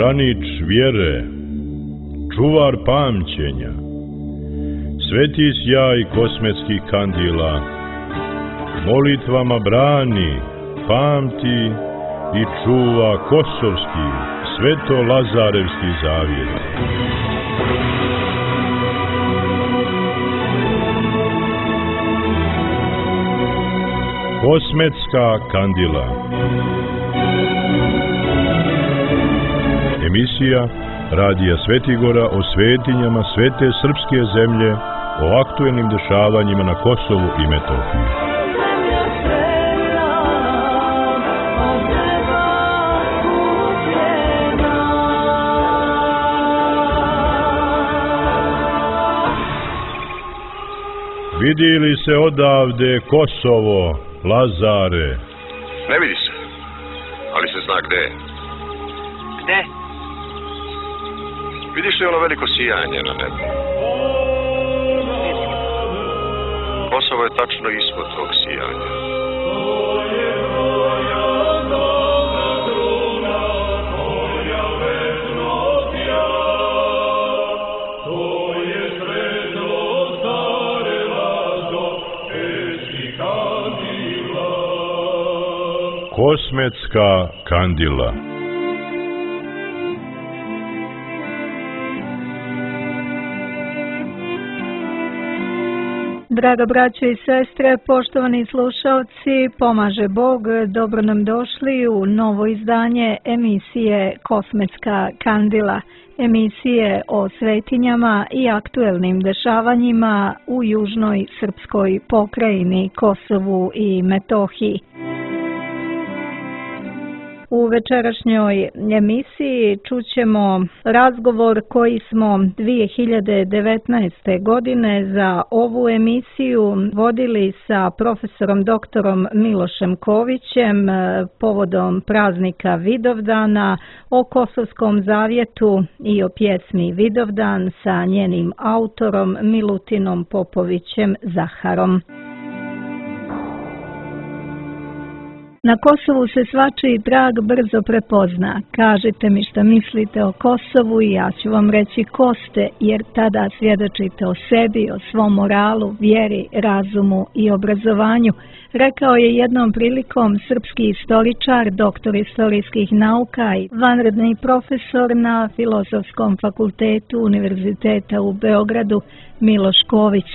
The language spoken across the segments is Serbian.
branič vjere, čuvar pamćenja, sveti sjaj kosmetskih kandila, molitvama brani, pamti i čuva kosovski, sveto-lazarevski zavjet. Kosmetska kandila. Emisija Radija Svetigora o svetinjama svete srpske zemlje, o aktuelnim dešavanjima na Kosovu i Metohiji. Vidi li se odavde Kosovo, Lazare? Ne vidi se, ali se zna gde je. Gde? Vidiš li ono veliko sijanje na nebu? Kosovo je tačno ispod tog sijanja. Kosmetska kandila. Draga braćo i sestre, poštovani slušalci, pomaže Bog, dobro nam došli u novo izdanje emisije Kosmetska kandila, emisije o svetinjama i aktuelnim dešavanjima u južnoj srpskoj pokrajini Kosovu i Metohiji. U večerašnjoj emisiji čućemo razgovor koji smo 2019. godine za ovu emisiju vodili sa profesorom doktorom Milošem Kovićem povodom praznika Vidovdana, o Kosovskom zavjetu i o pjesmi Vidovdan sa njenim autorom Milutinom Popovićem Zaharom. Na Kosovu se svačiji trag brzo prepozna. Kažite mi šta mislite o Kosovu i ja ću vam reći ko ste, jer tada svjedočite o sebi, o svom moralu, vjeri, razumu i obrazovanju, rekao je jednom prilikom srpski istoričar, doktor istorijskih nauka i vanredni profesor na Filozofskom fakultetu Univerziteta u Beogradu Miloš Ković.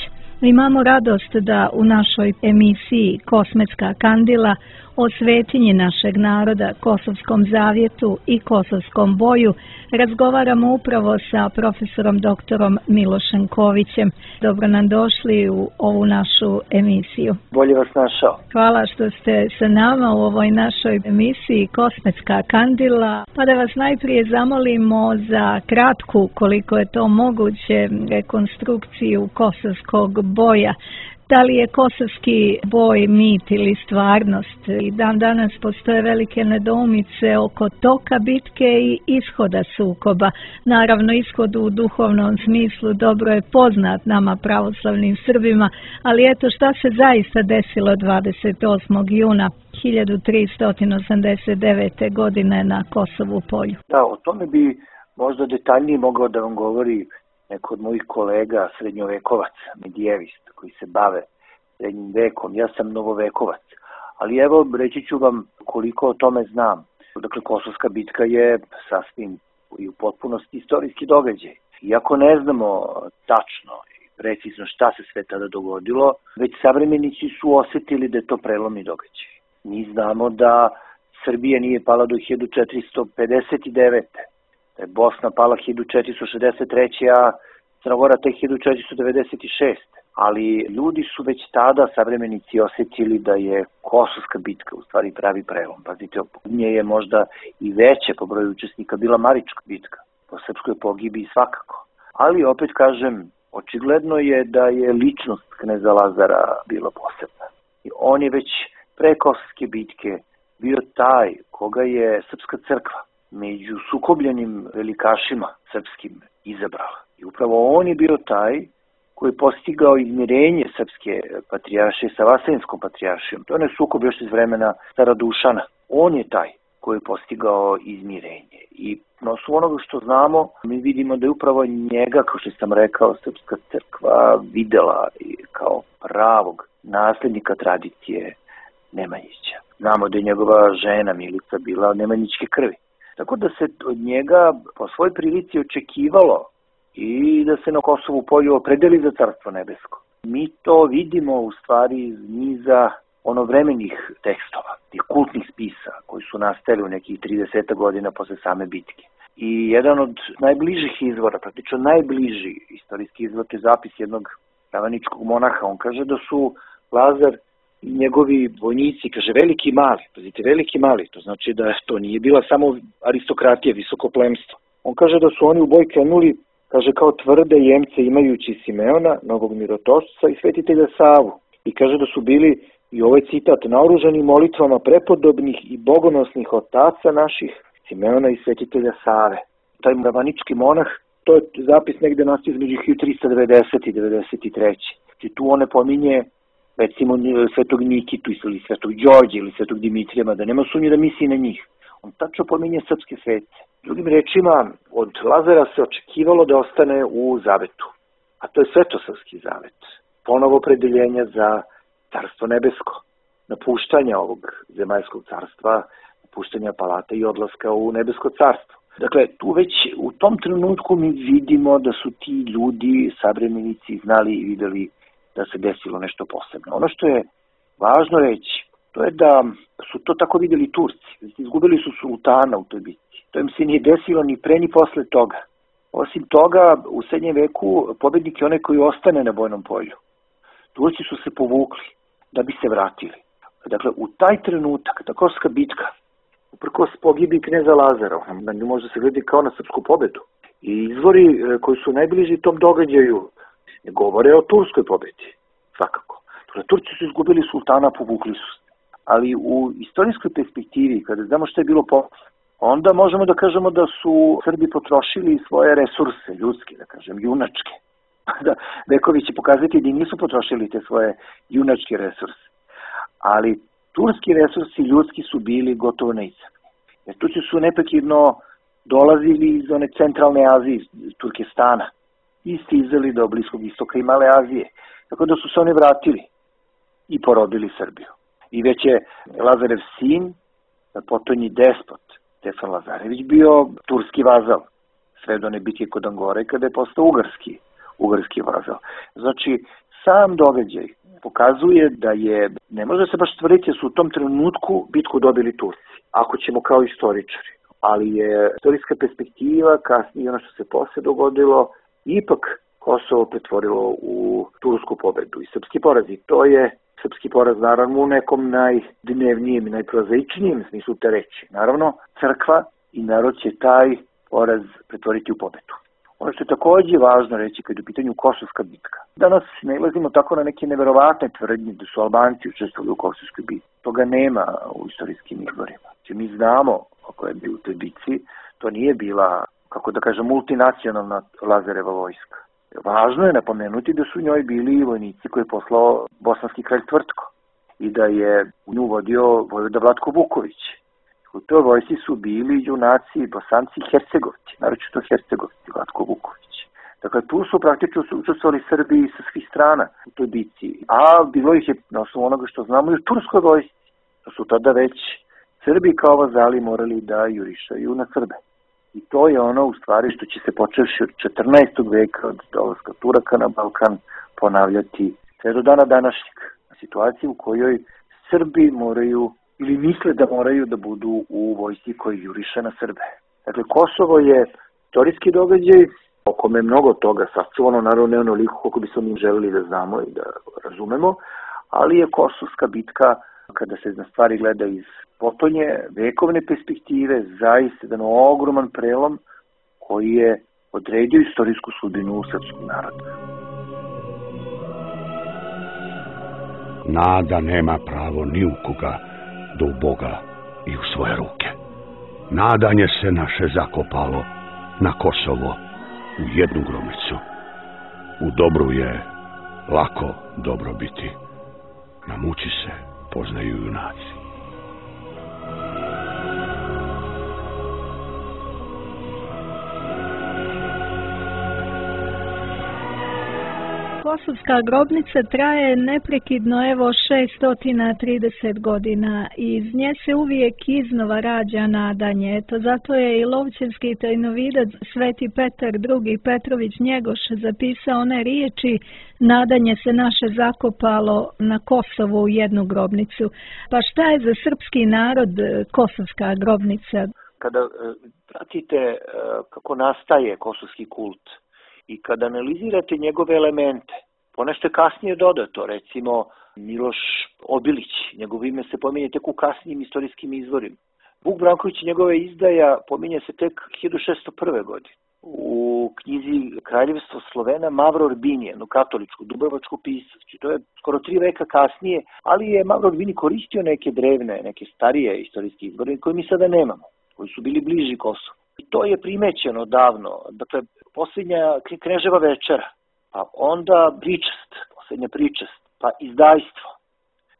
Imamo radost da u našoj emisiji Kosmetska kandila o svetinji našeg naroda, Kosovskom zavjetu i Kosovskom boju razgovaramo upravo sa profesorom doktorom Milošem Kovićem. Dobro nam došli u ovu našu emisiju. Bolje vas našao. Hvala što ste sa nama u ovoj našoj emisiji Kosmetska kandila. Pa da vas najprije zamolimo za kratku, koliko je to moguće, rekonstrukciju kosovskog boja. Da li je kosovski boj mit ili stvarnost? I dan danas postoje velike nedoumice oko toka bitke i ishoda sukoba. Naravno, ishod u duhovnom smislu dobro je poznat nama pravoslavnim Srbima, ali eto šta se zaista desilo 28. juna 1389. godine na Kosovu polju. Da, o tome bi možda detaljnije mogao da vam govori neko od mojih kolega, srednjovekovac, medijevist, koji se bave srednjim vekom. Ja sam novovekovac, ali evo reći ću vam koliko o tome znam. Dakle, Kosovska bitka je sasvim i u potpunosti istorijski događaj. Iako ne znamo tačno i precizno šta se sve tada dogodilo, već savremenici su osjetili da je to prelomni događaj. Mi znamo da Srbija nije pala do 1459. Da je Bosna pala 1463. a Crna Gora tek 1496. Ali ljudi su već tada, savremenici, osjetili da je Kosovska bitka u stvari pravi prelom. Pazite, nje je možda i veće po broju učesnika bila Marička bitka, po srpskoj pogibiji svakako. Ali opet kažem, očigledno je da je ličnost kneza Lazara bila posebna. I on je već pre Kosovske bitke bio taj koga je Srpska crkva među sukobljenim velikašima srpskim izabrala. I upravo on je bio taj koji je postigao izmirenje srpske patrijaršije sa Vaseljenskom patrijaršijom. To je sukob još iz vremena Stara Dušana. On je taj koji je postigao izmirenje. I na osnovu onoga što znamo, mi vidimo da je upravo njega, kao što sam rekao, Srpska crkva videla kao pravog nasljednika tradicije Nemanjića. Znamo da je njegova žena Milica bila od nemanjičke krvi. Tako da se od njega po svoj prilici očekivalo i da se na Kosovu polju opredeli za Carstvo nebesko. Mi to vidimo u stvari iz niza onovremenih tekstova, tih kultnih spisa koji su nastali u nekih 30 godina posle same bitke. I jedan od najbližih izvora, praktično najbliži istorijski izvor je zapis jednog ravaničkog monaha. On kaže da su Lazar i njegovi vojnici, kaže veliki i mali, pazite, veliki i mali, to znači da to nije bila samo aristokratija, visoko plemstvo. On kaže da su oni u boj krenuli, kaže, kao tvrde jemce imajući Simeona, novog mirotošca i svetitelja Savu. I kaže da su bili, i ovaj citat, naoružani molitvama prepodobnih i bogonosnih otaca naših, Simeona i svetitelja Save. Taj ravanički monah, to je zapis negde nastao između 1390 i 93. I tu on ne pominje recimo svetog Nikitu ili svetog Đorđe ili svetog Dimitrija, da nema sumnje da misli na njih. On tačno pominje srpske svece. Drugim rečima, od Lazara se očekivalo da ostane u zavetu, a to je svetosavski zavet. Ponovo opredeljenja za Carstvo nebesko, napuštanja ovog zemaljskog carstva, napuštanja palata i odlaska u nebesko carstvo. Dakle, tu već u tom trenutku mi vidimo da su ti ljudi, savremenici, znali i videli da se desilo nešto posebno. Ono što je važno reći, to je da su to tako videli Turci. Izgubili su sultana u toj bitci. To im se nije desilo ni pre ni posle toga. Osim toga, u srednjem veku pobednik je onaj koji ostane na bojnom polju. Turci su se povukli da bi se vratili. Dakle, u taj trenutak, ta Kosovska bitka, uprkos pogibi kneza Lazara, na nju može se gledati kao na srpsku pobedu. I izvori koji su najbliži tom događaju govore o turskoj pobedi, svakako. Turci su izgubili sultana, povukli su se. Ali u istorijskoj perspektivi, kada znamo što je bilo posle, onda možemo da kažemo da su Srbi potrošili svoje resurse, ljudske, da kažem, junačke. Da, vekovi će pokazati da nisu potrošili te svoje junačke resurse. Ali turski resursi ljudski su bili gotovo neiscrpni. Jer Turci su neprekidno dolazili iz one centralne Azije, iz Turkestana, i stizali do Bliskog istoka i Male Azije. Tako da su se oni vratili i porodili Srbiju. I već je Lazarev sin, potonji despot, Stefan Lazarević, bio turski vazal, sve do one bitke kod Angore, kada je postao ugarski vazal. Znači, sam događaj pokazuje da je, ne može se baš tvrditi da su u tom trenutku bitku dobili Turci, ako ćemo kao istoričari. Ali je istorijska perspektiva, kasnije ono što se posle dogodilo, ipak Kosovo pretvorilo u tursku pobedu i srpski poraz. I to je srpski poraz, naravno, u nekom najdnevnijem i najprozaičnijem smislu te reči. Naravno, crkva i narod će taj poraz pretvoriti u pobedu. Ono što je takođe važno reći kad je u pitanju Kosovska bitka. Danas nailazimo tako na neke neverovatne tvrdnje da su Albanci učestvovali u Kosovskoj bitci. Toga nema u istorijskim izvorima. Znači, mi znamo kako je bio u toj bitci, to nije bila, kako da kažem, multinacionalna Lazareva vojska. Važno je napomenuti da su u njoj bili vojnici koje je poslao bosanski kralj Tvrtko i da je u nju vodio vojvoda Vlatko Vuković. U toj vojsci su bili junaci, Bosanci i Hercegovci, naročito Hercegovci, Vlatko Vuković. Dakle, tu su praktično učestvovali Srbi sa svih strana u toj bitci. A bilo ih je, na osnovu onoga što znamo, i u turskoj vojsci. Da su tada već Srbi kao vazali morali da jurišaju na Srbe. I to je ono u stvari što će se počevši od 14. veka, od dolaska Turaka na Balkan, ponavljati sve do dana današnjeg. Situaciju u kojoj Srbi moraju ili misle da moraju da budu u vojsci koji juriše na Srbe. Dakle, Kosovo je istorijski događaj, o kome je mnogo toga sačuvano, naravno ne onoliko koliko bismo mi želeli da znamo i da razumemo, ali je Kosovska bitka, kada se na stvari gleda iz potonje vekovne perspektive, zaista jedan ogroman prelom koji je odredio istorijsku sudbinu srpskog naroda. Nada nema pravo ni u koga do u Boga i u svoje ruke. Nadanje se naše zakopalo na Kosovo u jednu gromicu. U dobru je lako dobro biti. Na muči se poznaju junaci. Kosovska grobnica traje neprekidno evo 630 godina i iz nje se uvijek iznova rađa nadanje. Eto, zato je i lovćevski tajnovidac Sveti Petar II. Petrović Njegoš zapisao one riječi: nadanje se naše zakopalo na Kosovu u jednu grobnicu. Pa šta je za srpski narod Kosovska grobnica? Kada pratite kako nastaje kosovski kult i kada analizirate njegove elemente, ponešto je kasnije dodato, recimo Miloš Obilić, njegovo ime se pominje tek u kasnijim istorijskim izvorima. Vuk Branković i njegove izdaja pominje se tek 1601. godine. U knjizi Kraljevstvo Slovena Mavro Orbini, jednu katoličku, dubrovačku pisac. To je skoro 3 veka kasnije, ali je Mavro Orbini koristio neke drevne, neke starije istorijske izvore koje mi sada nemamo, koji su bili bliži Kosovu. I to je primećeno davno. Dakle, posljednja Kneževa večera, pa onda pričest, posljednja pričest, pa izdajstvo,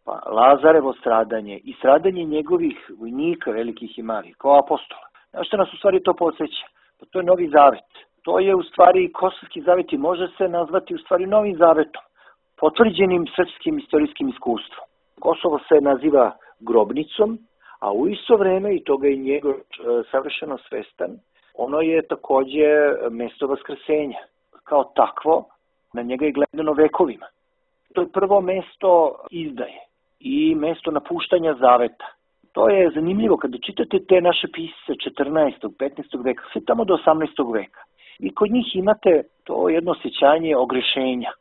pa Lazarevo stradanje i stradanje njegovih vojnika, velikih i malih, kao apostola. Znaš što nas u stvari to podsjeća? Pa to je Novi Zavet. To je u stvari Kosovski zavet i može se nazvati u stvari Novim Zavetom, potvrđenim srpskim istorijskim iskustvom. Kosovo se naziva grobnicom, a u isto vreme, i toga je njegov savršeno svestan, ono je takođe mesto vaskrsenja. Kao takvo, na njega je gledano vekovima. To je prvo mesto izdaje i mesto napuštanja zaveta. To je zanimljivo kada čitate te naše pisce 14. 15. veka, sve tamo do 18. veka. I kod njih imate to jedno osjećanje ogrešenja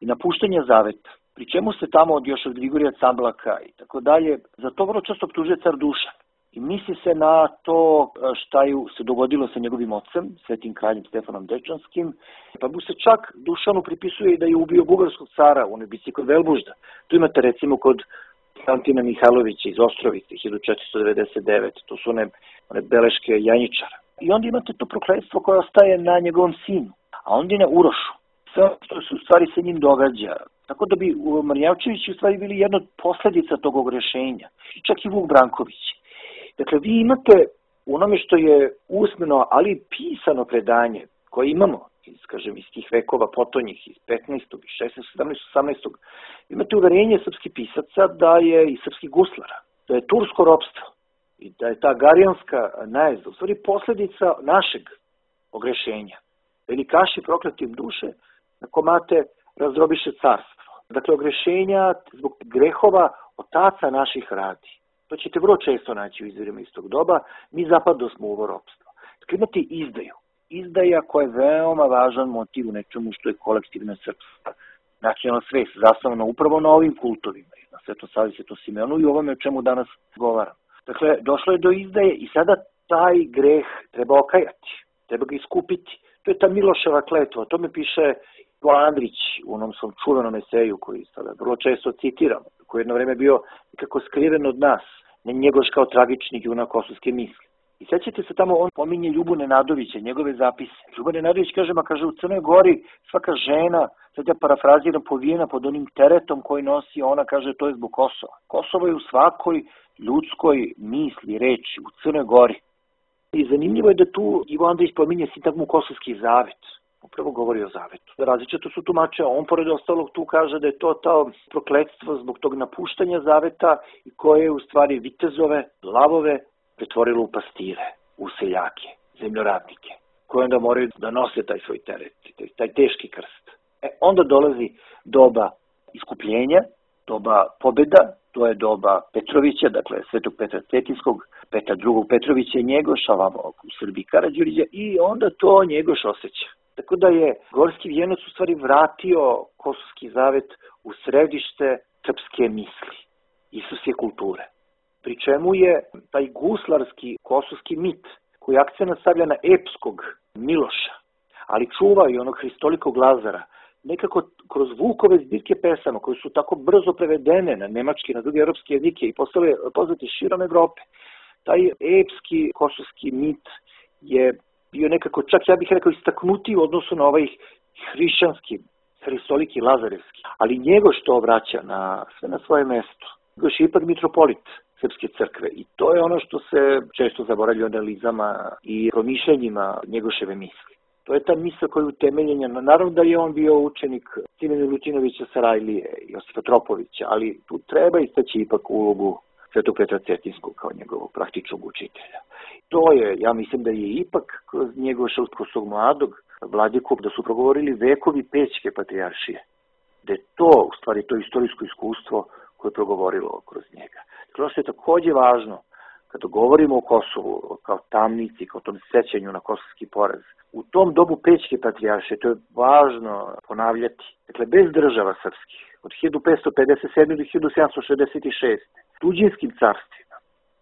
i napuštanja zaveta. Pri čemu se tamo još od Grigorija Camblaka i tako dalje, za to vrlo često optužuje car Dušan. I misli se na to šta se dogodilo sa njegovim ocem, svetim kraljem Stefanom Dečanskim, pa mu se čak Dušanu pripisuje i da je ubio bugarskog cara u onoj bici kod Velbužda. Tu imate recimo kod Konstantina Mihajlovića iz Ostrovice, 1499, to su one beleške Janjičara. I onda imate to prokletstvo koje ostaje na njegovom sinu, a onda i na Urošu. Sve što se u stvari sa njim događa. Tako da bi Marjavčevići u stvari bili jedna od posledica tog ogrešenja. Čak i Vuk Branković. Dakle, vi imate u onome što je usmeno, ali pisano predanje koje imamo iz tih vekova potonjih, iz 15. 16. 17. 18. Imate uverenje srpskih pisaca da je i srpskih guslara, da je tursko ropstvo i da je ta garijanska najezda u stvari posledica našeg ogrešenja. Velikaši prokletim duše na komate razdrobiše carstvo. Dakle, ogrešenja zbog grehova otaca naših radi. To ćete vrlo često naći u izvorima iz tog doba. Mi zapadno smo u ovo ropstvo. Dakle, imate izdaju. Izdaja koja je veoma važan motiv u nečemu što je kolektivna srpska nacionalna svest, zasnovana upravo na ovim kultovima, na Svetom Savi, Svetom Simeonu i ovome o čemu danas govaram. Dakle, došlo je do izdaje i sada taj greh treba okajati, treba ga iskupiti. To je ta Miloševa kletva, o tome piše Ivo Andrić u onom svom čuvenom eseju koji sada vrlo često citiram, koji jedno vreme bio nekako skriven od nas, ne Njegoš kao tragični junak kosovske misli. I sećate se tamo, on pominje Ljubu Nenadovića, njegove zapise. Ljubo Nenadović kaže u Crnoj Gori svaka žena, sad ja parafraziram, povijena pod onim teretom koji nosi, ona kaže to je zbog Kosova. Kosovo je u svakoj ljudskoj misli, reči, u Crnoj Gori. I zanimljivo je da tu Ivo Andrić pominje sintagmu Kosovski zavet. Upravo govori o zavetu. Različito su tumače, on pored ostalog tu kaže da je to prokletstvo zbog tog napuštanja zaveta i koje je u stvari vitezove, lavove pretvorilo u pastire, u seljake, zemljoradnike, koji onda moraju da nose taj svoj teret, taj teški krst. Onda dolazi doba iskupljenja, doba pobjeda, to je doba Petrovića, dakle Svetog Petra Cetinskog, Petra II. Petrovića i Njegoša, ovamo u Srbiji Karađorđa, i onda to Njegoš osjeća. Tako da je Gorski Vijenac u stvari vratio Kosovski zavet u središte srpske misli, isusje kulture. Pri čemu je taj guslarski kosovski mit, koji akcent stavlja na epskog Miloša, ali čuva i onog Hristolikog Lazara, nekako kroz Vukove zbirke pesama, koje su tako brzo prevedene na nemački, na druge europske jezike i postale poznati širom Evrope. Taj epski kosovski mit je bio nekako, čak ja bih rekao, istaknutiji u odnosu na ovaj hrišćanski, Hristoliki Lazarevski. Ali njego što vraća sve na svoje mesto. Još je ipak mitropolit Srpske crkve i to je ono što se često zaboravlja u analizama i promišljanjima Njegoševe misli. To je ta misla koja je utemeljena. Naravno da je on bio učenik Simena Milutinovića Sarajlije i Josipa Tropovića, ali tu treba istaći ipak ulogu Svetog Petra Cetinskog kao njegovog praktičnog učitelja. To je, ja mislim da je ipak kroz njegov Šrtkovskog mladog vladiku da su progovorili vekovi Pećke patrijaršije. Da je to, u stvari, to istorijsko iskustvo koje je progovorilo kroz njega. Ono što je takođe važno, kada govorimo o Kosovu, kao tamnici, kao tom sećanju na kosovski poraz, u tom dobu Pećke patrijaršije, to je važno ponavljati, dakle, bez država srpskih, od 1557. do 1766. tuđinskim carstvima,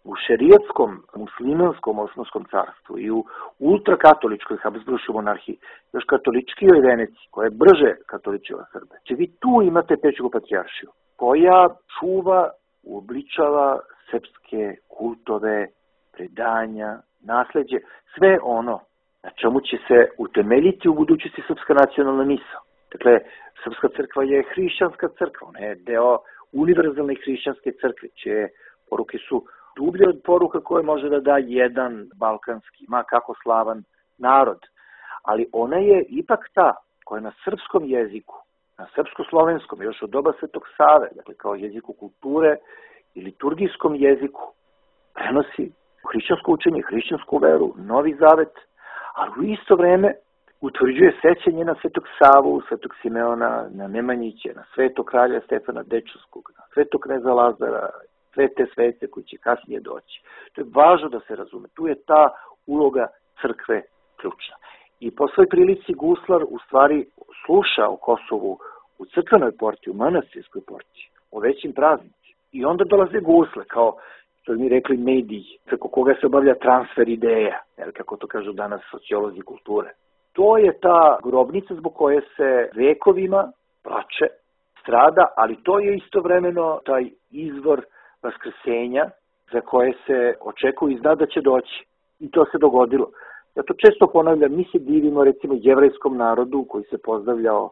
u šerijatskom, muslimanskom osmanskom carstvu i u ultrakatoličkoj Habsburškoj monarhiji, još katoličkijoj Veneciji, koja je brže katoličila Srbe. Če vi tu imate Pećku patrijaršiju, koja čuva, uobličava srpske kultove, predanja, nasleđe, sve ono na čemu će se utemeljiti u budućnosti srpska nacionalna misao. Dakle, srpska crkva je hrišćanska crkva, ona je deo univerzalne hrišćanske crkve, čije poruke su dublje od poruka koje može da da jedan balkanski, ma kako slavan narod. Ali ona je ipak ta koja na srpskom jeziku, na srpsko-slovenskom, još od doba Svetog Save, dakle kao jeziku kulture i liturgijskom jeziku, prenosi hrišćansko učenje, hrišćansku veru, Novi Zavet, ali u isto vreme utvrđuje sećanje na Svetog Savu, Svetog Simeona, na Nemanjića, na Svetog kralja Stefana Dečanskog, na Svetog kneza Lazara, sve te svece koji će kasnije doći. To je važno da se razume. Tu je ta uloga crkve ključna. I po svoj prilici guslar u stvari sluša o Kosovu u crkvenoj porti, u manastirskoj porti, o većim praznicima. I onda dolaze gusle, kao što mi rekli mediji, preko koga se obavlja transfer ideja, jer kako to kažu danas sociolozi kulture. To je ta grobnica zbog koje se vekovima plače, strada, ali to je istovremeno taj izvor vaskrsenja za koje se očekuje i zna da će doći. I to se dogodilo. Ja to često ponavljam, mi se divimo recimo jevrejskom narodu koji se pozdravljao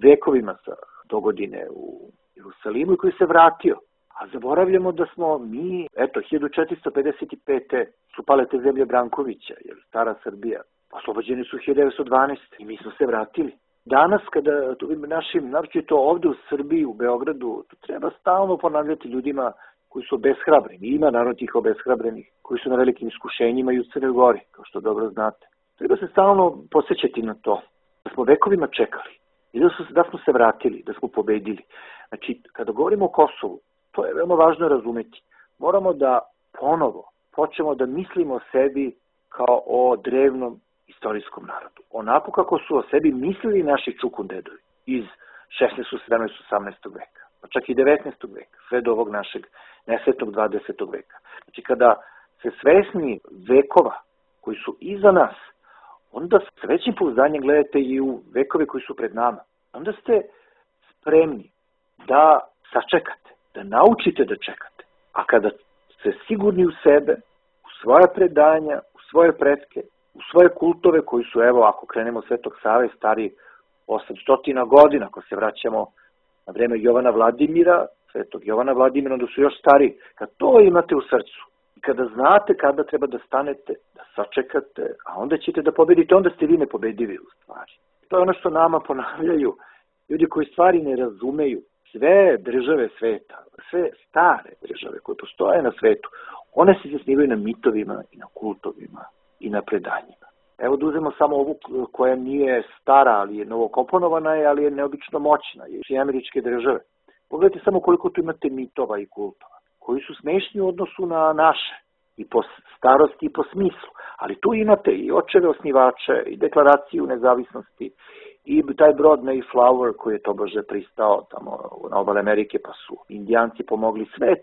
vekovima sa dogodine u Jerusalimu i koji se vratio. A zaboravljamo da smo mi, 1455. su pale te zemlje Brankovića, jer stara Srbija. Oslobođeni su 1912. i mi smo se vratili. Danas, kada našim, naročito ovde u Srbiji, u Beogradu, to treba stalno ponavljati ljudima koji su obeshrabreni. Ima naravno tih obeshrabrenih, koji su na velikim iskušenjima i u Crnoj Gori, kao što dobro znate. Treba se stalno posjećati na to, da smo vekovima čekali i da smo se vratili, da smo pobedili. Znači, kada govorimo o Kosovu, to je veoma važno razumeti. Moramo da ponovo počnemo da mislimo o sebi kao o drevnom istorijskom narodu. Onako kako su o sebi mislili naši čukundedovi iz 16. 17. 18. veka, pa čak i 19. veka, sve do ovog našeg nesretnog 20. veka. Znači, kada se svesni vekova koji su iza nas, onda s većim pouzdanjem gledate i u vekove koji su pred nama. Onda ste spremni da sačekate, da naučite da čekate. A kada ste sigurni u sebe, u svoja predanja, u svoje pretke, u svoje kultove koji su, evo, ako krenemo Svetog Save, stari 800 godina, ako se vraćamo na vreme Jovana Vladimira, Svetog Jovana Vladimira, onda su još stari. Kad to imate u srcu i kada znate kada treba da stanete, da sačekate, a onda ćete da pobedite, onda ste vi nepobedivi u stvari. To je ono što nama ponavljaju ljudi koji stvari ne razumeju. Sve države sveta, sve stare države koje postoje na svetu, one se zasnivaju na mitovima i na kultovima i na predanjima. Evo da uzmemo samo ovu koja nije stara, ali je novokomponovana, ali je neobično moćna, i Američke države. Pogledajte samo koliko tu imate mitova i kultova, koji su smešni u odnosu na naše, i po starosti i po smislu. Ali tu imate i očeve osnivače, i deklaraciju nezavisnosti, i taj brod Mayflower koji je tobože pristao tamo na obale Amerike, pa su Indijanci pomogli sve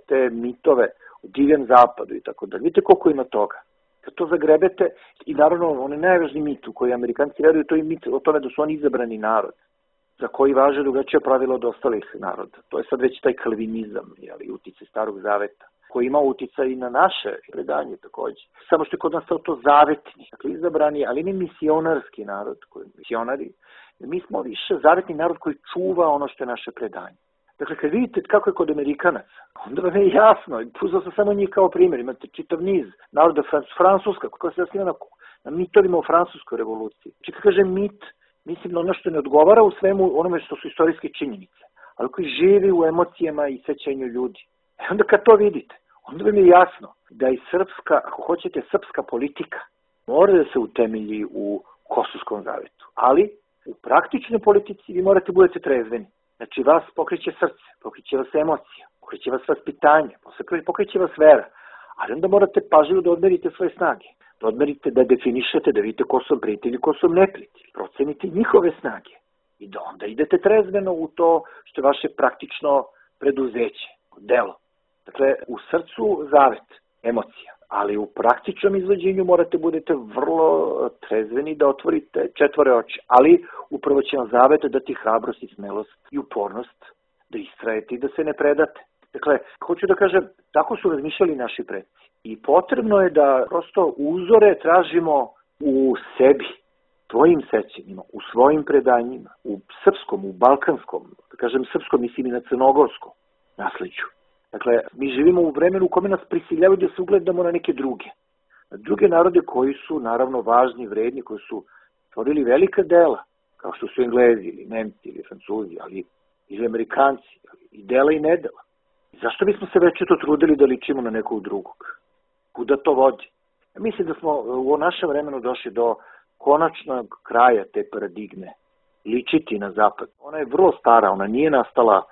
te mitove u divljem zapadu i tako da. Vidite koliko ima toga. Kad to zagrebete, i naravno onaj najvažniji mit u koji Amerikanci veruju, to je mit o tome da su oni izabrani narod, za koji važe drugačije pravilo od ostalih naroda. To je sad već taj kalvinizam, uticaj Starog Zaveta, koji ima uticaj i na naše predanje takođe. Samo što je kod nas to zavetni, dakle izabrani, ali ne misionarski narod, koji misionari. Mi smo više zavetni narod koji čuva ono što je naše predanje. Dakle, kad vidite kako je kod Amerikanaca, onda vam je jasno, uzeo sam samo njih kao primjer, imate čitav niz naroda, Francuska, koja se zasniva na mitovima u Francuskoj revoluciji. Znači kad kažem mit, mislim na ono što ne odgovara u svemu onome što su istorijske činjenice, ali koji živi u emocijama i sećanju ljudi. Onda kad to vidite, onda vam je jasno da i srpska, ako hoćete, srpska politika mora da se utemelji u Kosovskom zavetu. Ali u praktičnoj politici vi morate budete trezveni. Znači vas pokreće srce, pokreće vas emocija, pokreće vas vaspitanje, pokreće vas vera. Ali onda morate pažljivo da odmerite svoje snage. Da odmerite, da definišete, da vidite ko su prijatelji, ko su neprijatelji. Procenite njihove snage. I da onda idete trezveno u to što je vaše praktično preduzeće, delo. Dakle, u srcu zavet, emocija. Ali u praktičnom izvođenju morate budete vrlo trezveni da otvorite četvore oči. Ali upravo će vam zavet dati hrabrost i smelost i upornost da istrajete i da se ne predate. Dakle, hoću da kažem, tako su razmišljali naši predci. I potrebno je da prosto uzore tražimo u sebi, svojim sećanjima, u svojim predanjima, u srpskom, u balkanskom, da kažem srpskom, mislim i na crnogorskom nasleđu. Dakle, mi živimo u vremenu u kome nas prisiljavaju da se ugledamo na neke druge. Na druge narode koji su, naravno, važni, vredni, koji su stvorili velika dela, kao što su Englezi ili Nemci ili Francuzi, ali ili Amerikanci, i dela i nedela. Zašto bismo se večito trudili da ličimo na nekog drugog? Kuda to vodi? Mislim da smo u našem vremenu došli do konačnog kraja te paradigme. Ličiti na zapad. Ona je vrlo stara, ona nije nastala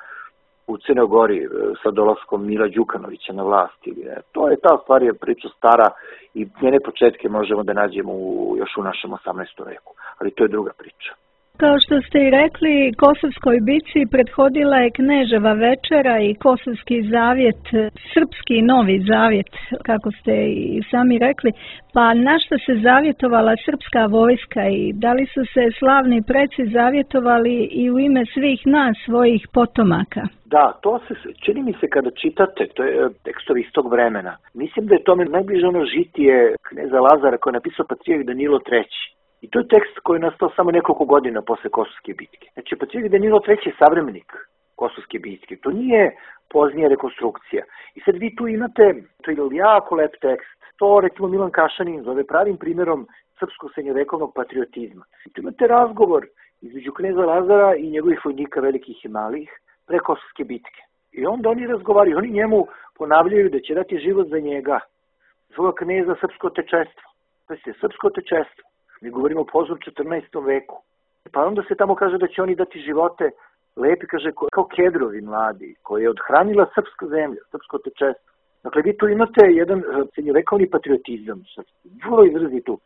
u Crnoj Gori sa dolaskom Mila Đukanovića na vlast. To je ta stvar, je priča stara i njene početke možemo da nađemo još u našem 18. veku. Ali to je druga priča. Kao što ste i rekli, Kosovskoj bici prethodila je Kneževa večera i Kosovski zavjet, srpski novi zavjet, kako ste i sami rekli. Pa na što se zavjetovala srpska vojska i da li su se slavni preci zavjetovali i u ime svih nas, svojih potomaka? Da, to se čini mi se kada čitate, to je tekstovi iz tog vremena. Mislim da je tome najbliže ono žitije kneza Lazara koje je napisao patrijarh Danilo III. I to je tekst koji je nastao samo nekoliko godina posle Kosovske bitke. Znači, patrijarh Danilo III je savremenik Kosovske bitke. To nije poznija rekonstrukcija. I sad vi tu imate, to je jako lep tekst, to recimo Milan Kašanin zove pravim primjerom srpskog srednjovekovnog patriotizma. I tu imate razgovor između kneza Lazara i njegovih vojnika velikih i malih pre Kosovske bitke. I onda oni razgovaraju, oni njemu ponavljaju da će dati život za njega, zove kneza srpsko otečestvo. To je srpsko otečestvo. Mi govorimo o poznom 14. veku. Pa onda se tamo kaže da će oni dati živote lepi, kaže, kao kedrovi mladi, koji je odhranila srpska zemlja, srpsko otečestvo. Dakle, vi tu imate jedan srednjovekovni patriotizam, vrlo izrazitu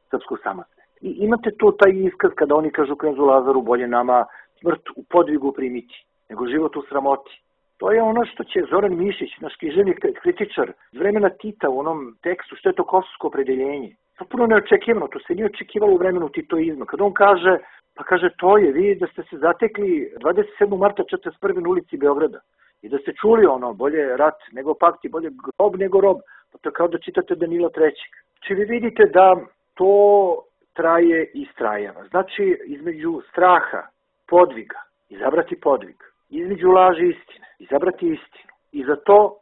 srpsku samosvest. I imate tu taj iskaz kada oni kažu knezu Lazaru, bolje nama smrt u podvigu primiti, nego život u sramoti. To je ono što će Zoran Mišić, naš književni kritičar, iz vremena Tita u onom tekstu, što je to kosovsko opredeljenje. Potpuno neočekivano, to se nije očekivalo u vremenu titoizma. Kada on kaže, pa kaže, to je, vi da ste se zatekli 27. marta 41. na ulici Beograda i da ste čuli ono, bolje rat nego pakt i bolje grob nego rob, pa to je kao da čitate Danila III. Znači vi vidite da to traje i strajava. Znači između straha, podviga, izabrati podvig, između laži i istine, izabrati istinu i za to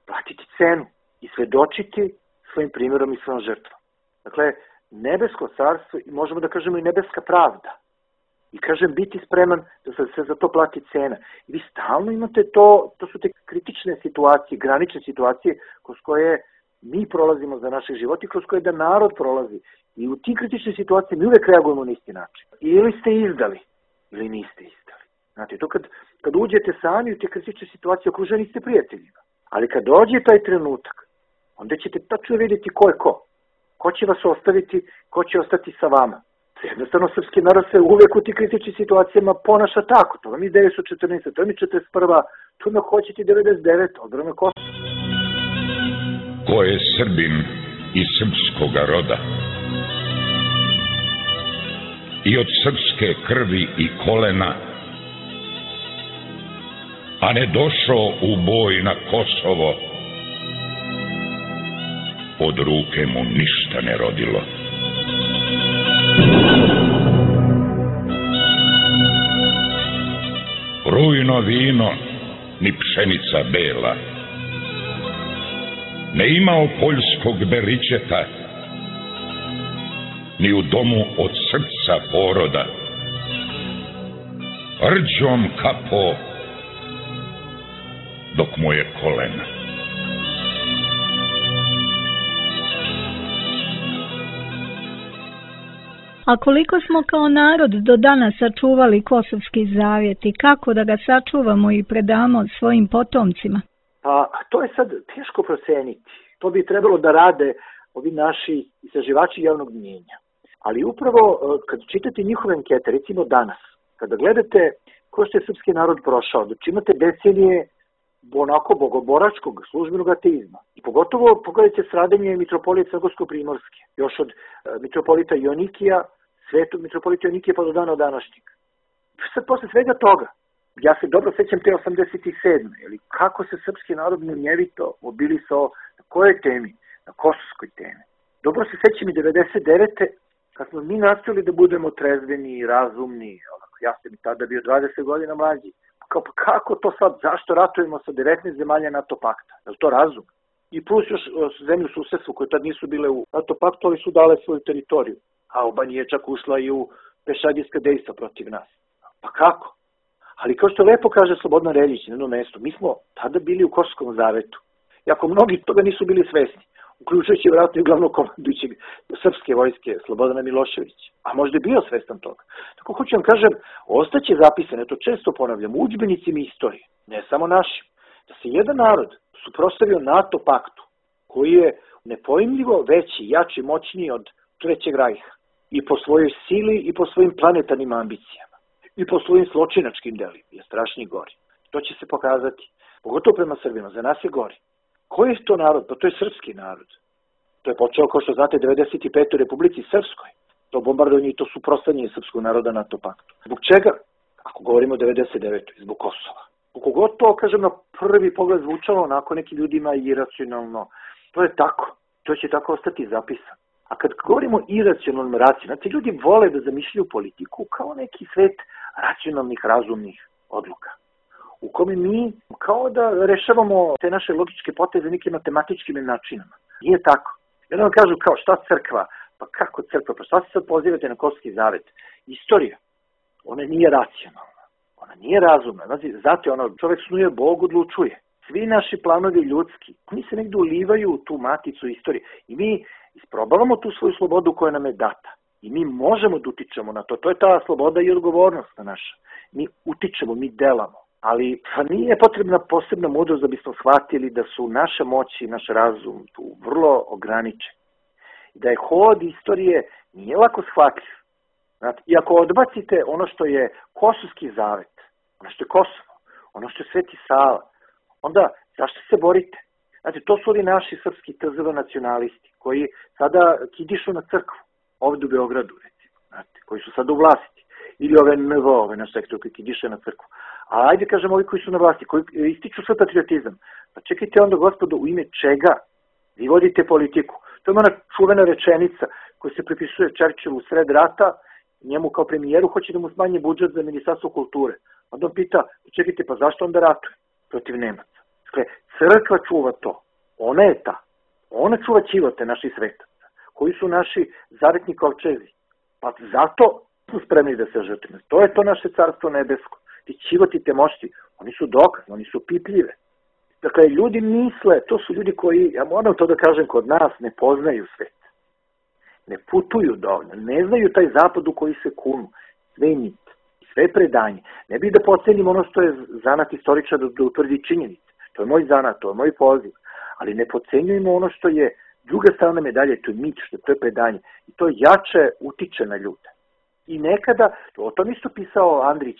platiti cenu i svedočiti svojim primjerom i svojom žrtvom. Dakle, nebesko carstvo i možemo da kažemo i nebeska pravda. I kažem, biti spreman da se za to plati cena. I vi stalno imate to su te kritične situacije, granične situacije kroz koje mi prolazimo za naše živote, kroz koje da narod prolazi. I u tim kritičnim situacijama mi uvek reagujemo na isti način. Ili ste izdali, ili niste izdali. Znate, to kad uđete sami u te kritične situacije, okruženi ste prijateljima. Ali kad dođe taj trenutak, onda ćete tačno vidjeti ko je ko. Ko će vas ostaviti, ko će ostati sa vama. Jednostavno, srpski narod se uvek u tih kritičnim situacijama ponaša tako. To vam je 1914, to vam je 41, to vam hoćete 99, odbrana Kosova. Ko je Srbin iz srpskoga roda i od srpske krvi i kolena, a ne došao u boj na Kosovo, od ruke mu ništa ne rodilo. Rujno vino, ni pšenica bela, ne imao poljskog beričeta, ni u domu od srca poroda. Rđom kapo dok mu je kolena. A koliko smo kao narod do danas sačuvali Kosovski zavjet i kako da ga sačuvamo i predamo svojim potomcima? Pa to je sad teško proceniti. To bi trebalo da rade ovi naši istraživači javnog mnijenja. Ali upravo kad čitate njihove ankete, recimo danas, kada gledate ko što je srpski narod prošao, znači imate decenije onako bogoboračkog službenog ateizma. I pogotovo pogledajte stradanje mitropolije Crnogorsko-Primorske, još od mitropolita Jonikija, svetog mitropolita Jonikija pa do dana današnjeg. Sad posle svega toga, ja se dobro sećam te 87. Ili kako se srpski narod munjevito mobilisao na kojoj temi? Na kosovskoj temi. Dobro se sećam i 99. kad smo mi nastavili da budemo trezveni i razumni. Ja sam i tada bio 20 godina mlađi. Kako to sad? Zašto ratujemo sa 19 zemalja NATO pakta? Je li to razum? I plus još zemlju susedstvu koje tad nisu bile u NATO paktu, ali su dale svoju teritoriju. A Albanija je čak ušla i u pešadijska dejstva protiv nas. Pa kako? Ali kao što lepo kaže Slobodan Reljić na jednom mestu, mi smo tada bili u Kosovskom zavetu. Iako mnogi toga nisu bili svesni, uključujući vjerojatno i glavnog komandujućeg srpske vojske Slobodana Miloševića. A možda je bio svestan toga. Tako hoću vam kažem, ostaće zapisane, to često ponavljam, u udžbenicima istorije, ne samo našim, da se jedan narod suprotstavio NATO paktu, koji je nepojmljivo veći, jači, moćniji od Trećeg rajha. I po svojoj sili i po svojim planetarnim ambicijama. I po svojim zločinačkim delima je strašni gori. To će se pokazati, pogotovo prema Srbima, za nas je gori. Koji je to narod? Pa to je srpski narod. To je počeo, kao što znate, 95. u Republici Srpskoj. To bombardovanje i to suprotstavljanje srpskog naroda NATO paktu. Zbog čega? Ako govorimo o 99. Zbog Kosova. Koliko to, kažem, na prvi pogled zvučalo onako nekim ljudima iracionalno. To je tako. To će tako ostati zapisano. A kad govorimo o iracionalnom racionalnom, ti ljudi vole da zamišljaju politiku kao neki svet racionalnih, razumnih odluka. U kome mi kao da rešavamo te naše logičke poteze nekim matematičkim načinama. Nije tako. Jedan vam kažu kao šta crkva? Pa kako crkva? Pa šta se sad pozivate na Kosovski zavet? Istorija. Ona nije racionalna. Ona nije razumna. Znači, zato ono, čovjek snuje, Bog odlučuje. Svi naši planovi ljudski, oni se negdje ulivaju u tu maticu istorije. I mi isprobavamo tu svoju slobodu koja nam je data. I mi možemo da utičemo na to. To je ta sloboda i odgovornost naša. Mi utičemo, mi delamo. Ali nije potrebna posebna mudrost da bismo shvatili da su naša moć i naš razum tu vrlo ograničeni. I da je hod istorije nije lako shvatljiv. Znate, i ako odbacite ono što je Kosovski zavet, ono što je Kosovo, ono što je Sveti Sava, onda zašto se borite? Znate, to su ovi naši srpski TZV nacionalisti koji sada kidišu na crkvu, ovdje u Beogradu, recimo, znate, koji su sada u vlasti. Ili ove NVO, ove naš sektor koji kidiše na crkvu. A ajde kažem ovi koji su na vlasti, koji ističu svoj patriotizam. Pa čekajte onda, gospodo, u ime čega vi vodite politiku? To je ona čuvena rečenica koja se pripisuje Churchillu u sred rata, njemu kao premijeru hoće da mu smanje budžet za Ministarstvo kulture. Onda on pita, čekajte, pa zašto onda ratuje protiv Nemaca? Dakle, crkva čuva to. Ona je ta. Ona čuva ćivote naših svetaca, koji su naši zavetni kovčezi. Pa zato su spremni da se žrtvuju. To je to naše carstvo nebesko. Ti ćivoti, te mošti, oni su dokazne, oni su pipljive. Dakle, ljudi misle, to su ljudi koji, ja moram to da kažem, kod nas ne poznaju svet. Ne putuju dovoljno, ne znaju taj zapad u koji se kunu. Sve je mit, sve predanje. Ne bih da pocenim ono što je zanat istoričar da utvrdi činjenice. To je moj zanat, to je moj poziv. Ali ne pocenjujemo ono što je druga strana medalje, to je mit, što to je predanje. I to jače utiče na ljude. I nekada, o tom isto pisao Andrić,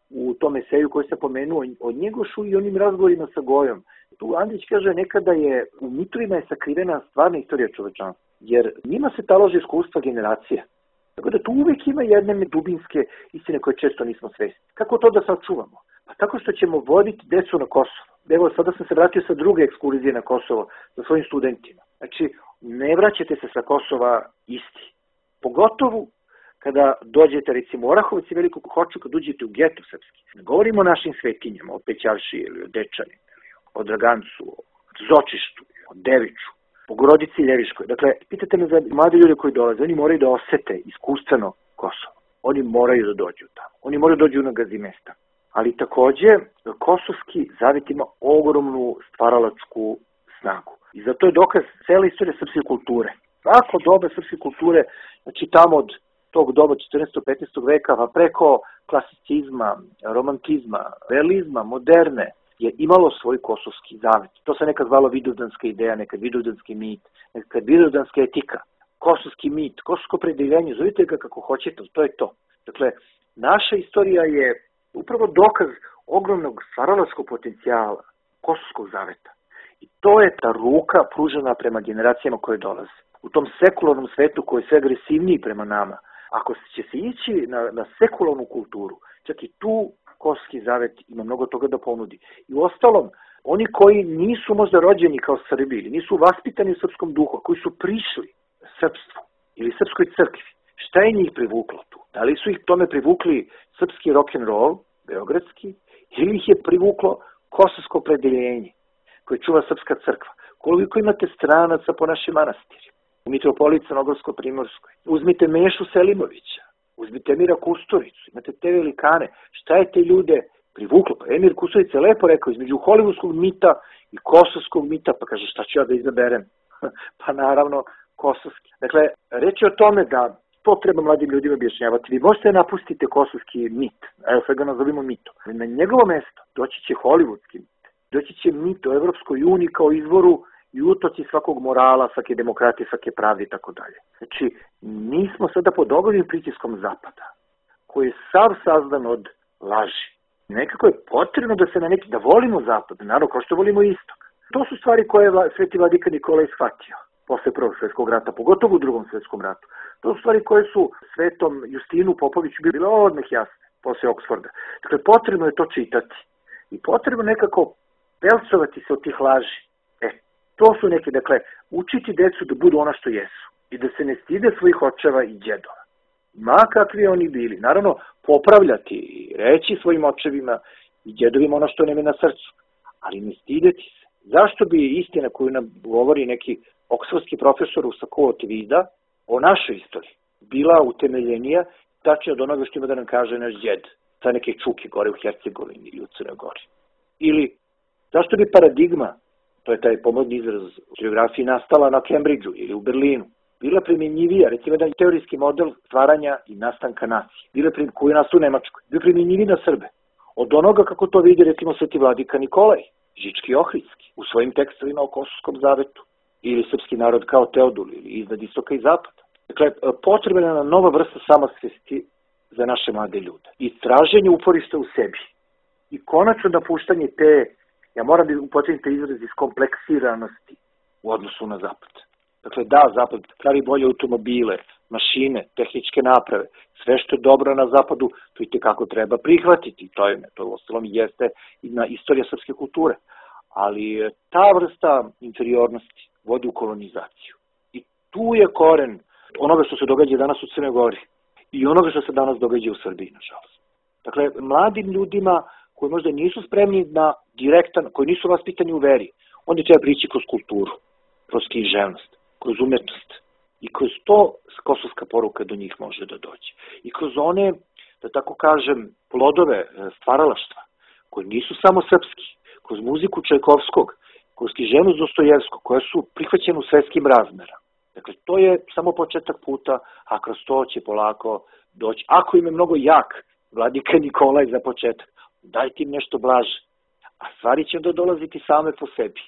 u tom eseju koji se pomenuo o Njegošu i onim razgovorima sa Gojom. Tu Andrić kaže nekada je u mitovima je sakrivena stvarna istorija čovečanstva, jer njima se talože iskustva generacija. Tako da tu uvijek ima jedne dubinske istine koje često nismo svesni. Kako to da sačuvamo? Pa tako što ćemo voditi decu na Kosovo. Evo, sada sam se vratio sa druge ekskurzije na Kosovo sa svojim studentima. Znači, ne vraćate se sa Kosova isti. Pogotovo kada dođete, recimo, u Orahovac i Veliku Hoču, kad uđete u geto srpski. Ne govorimo o našim svetinjama, o Pećarši ili o Dečani, ili o Dragancu, o Zočištu, o Deviču. Bogorodici Ljeviškoj. Dakle, pitate me za mlade ljude koji dolaze, oni moraju da osete iskustveno Kosovo. Oni moraju da dođu tamo. Oni moraju da dođu na Gazimestan. Ali takođe, kosovski zavet ima ogromnu stvaralačku snagu. I zato je dokaz cele istorije srpske kulture. Svako doba srpske kulture, znači tamo od tog doba 14. 15. veka, pa preko klasicizma, romantizma, realizma, moderne, je imalo svoj kosovski zavet. To se nekad zvalo vidovdanska ideja, nekad vidovdanski mit, nekad vidovdanska etika, kosovski mit, kosovsko predeljenje, zovite ga kako hoćete, to je to. Dakle, naša istorija je upravo dokaz ogromnog stvaralačkog potencijala kosovskog zaveta. I to je ta ruka pružena prema generacijama koje dolaze. U tom sekularnom svetu koji je sve agresivniji prema nama, ako će se ići na sekularnu kulturu, čak i tu kosovski zavet ima mnogo toga da ponudi. I u ostalom, oni koji nisu možda rođeni kao Srbi ili nisu vaspitani u srpskom duhu, koji su prišli srpstvu ili srpskoj crkvi, šta je njih privuklo tu? Da li su ih tome privukli srpski rock'n'roll, beogradski, ili ih je privuklo kosovsko predeljenje koje čuva srpska crkva? Koliko imate stranaca po našim manastirima? U Mitropoliji Crnogorsko-Primorskoj. Uzmite Mešu Selimovića, uzmite Emira Kusturicu, imate te velikane. Šta je te ljude privuklo? Pa Emir Kusturić je lepo rekao, između hollywoodskog mita i kosovskog mita, pa kaže šta ću ja da izaberem? Pa naravno kosovski. Dakle, reč je o tome da to treba mladim ljudima objašnjavati. Vi možete napustiti kosovski mit, evo sve ga nazovimo mitom. Na njegovo mesto doći će hollywoodski mit, doći će mit o Evropskoj uniji kao izvoru i utoci svakog morala, svake demokratije, svake pravde i tako dalje. Znači, mi smo sada pod ogromnim pritiskom Zapada, koji je sav sazdan od laži. Nekako je potrebno da se da volimo Zapad, naravno kao što volimo Istok. To su stvari koje je Sveti vladika Nikolaj shvatio posle Prvog svjetskog rata, pogotovo u Drugom svjetskom ratu. To su stvari koje su Svetom Justinu Popoviću bile odmah jasne posle Oksforda. Dakle, potrebno je to čitati i potrebno nekako pelcovati se od tih laži. To su neke, dakle, učiti decu da budu ono što jesu i da se ne stide svojih očeva i djedova. Ma kakvi oni bili. Naravno, popravljati i reći svojim očevima i djedovima ono što nam je na srcu, ali ne stideti se. Zašto bi istina koju nam govori neki oksfordski profesor u Sakot vida o našoj istoriji bila utemeljenija tačnije od onoga što ima da nam kaže naš djed sa neke čuke gore u Hercegovini ili u Crnoj Gori? Ili zašto bi paradigma, to je taj pomodni izraz u geografiji, nastala na Cambridgeu ili u Berlinu, bila primjenjivija, recimo jedan teorijski model stvaranja i nastanka nacije, koji je nastao u Nemačkoj, bila primjenjiviji na Srbe, od onoga kako to vidi recimo Sveti vladika Nikolaj, Žički Ohridski, u svojim tekstovima o Kosovskom zavetu, ili srpski narod kao Teodul, ili iznad istoka i zapada. Dakle, potrebna je nam nova vrsta samosvesti za naše mlade ljude. I traženje uporišta u sebi. I konačno napuštanje te, ja moram da upotrebim te izraz iskompleksiranosti u odnosu na zapad. Dakle, da, zapad pravi bolje automobile, mašine, tehničke naprave, sve što je dobro na zapadu, to i tekako treba prihvatiti. To u ostalom jeste i na istorija srpske kulture. Ali ta vrsta inferiornosti vodi u kolonizaciju. I tu je koren onoga što se događa danas u Crnoj Gori i onoga što se danas događa u Srbiji, nažalost. Dakle, mladim ljudima koji možda nisu spremni na direktan, koji nisu vaspitani u veri, onda treba prići kroz kulturu, kroz književnost, kroz umetnost. I kroz to kosovska poruka do njih može da dođe. I kroz one, da tako kažem, plodove stvaralaštva, koji nisu samo srpski, kroz muziku Čajkovskog, kroz književnost Dostojevskog, koja su prihvaćene u svetskim razmerama. Dakle, to je samo početak puta, a kroz to će polako doći. Ako im je mnogo jak vladika Nikolaj za početak, dajte im nešto blaže, a stvari će da dolaziti same po sebi.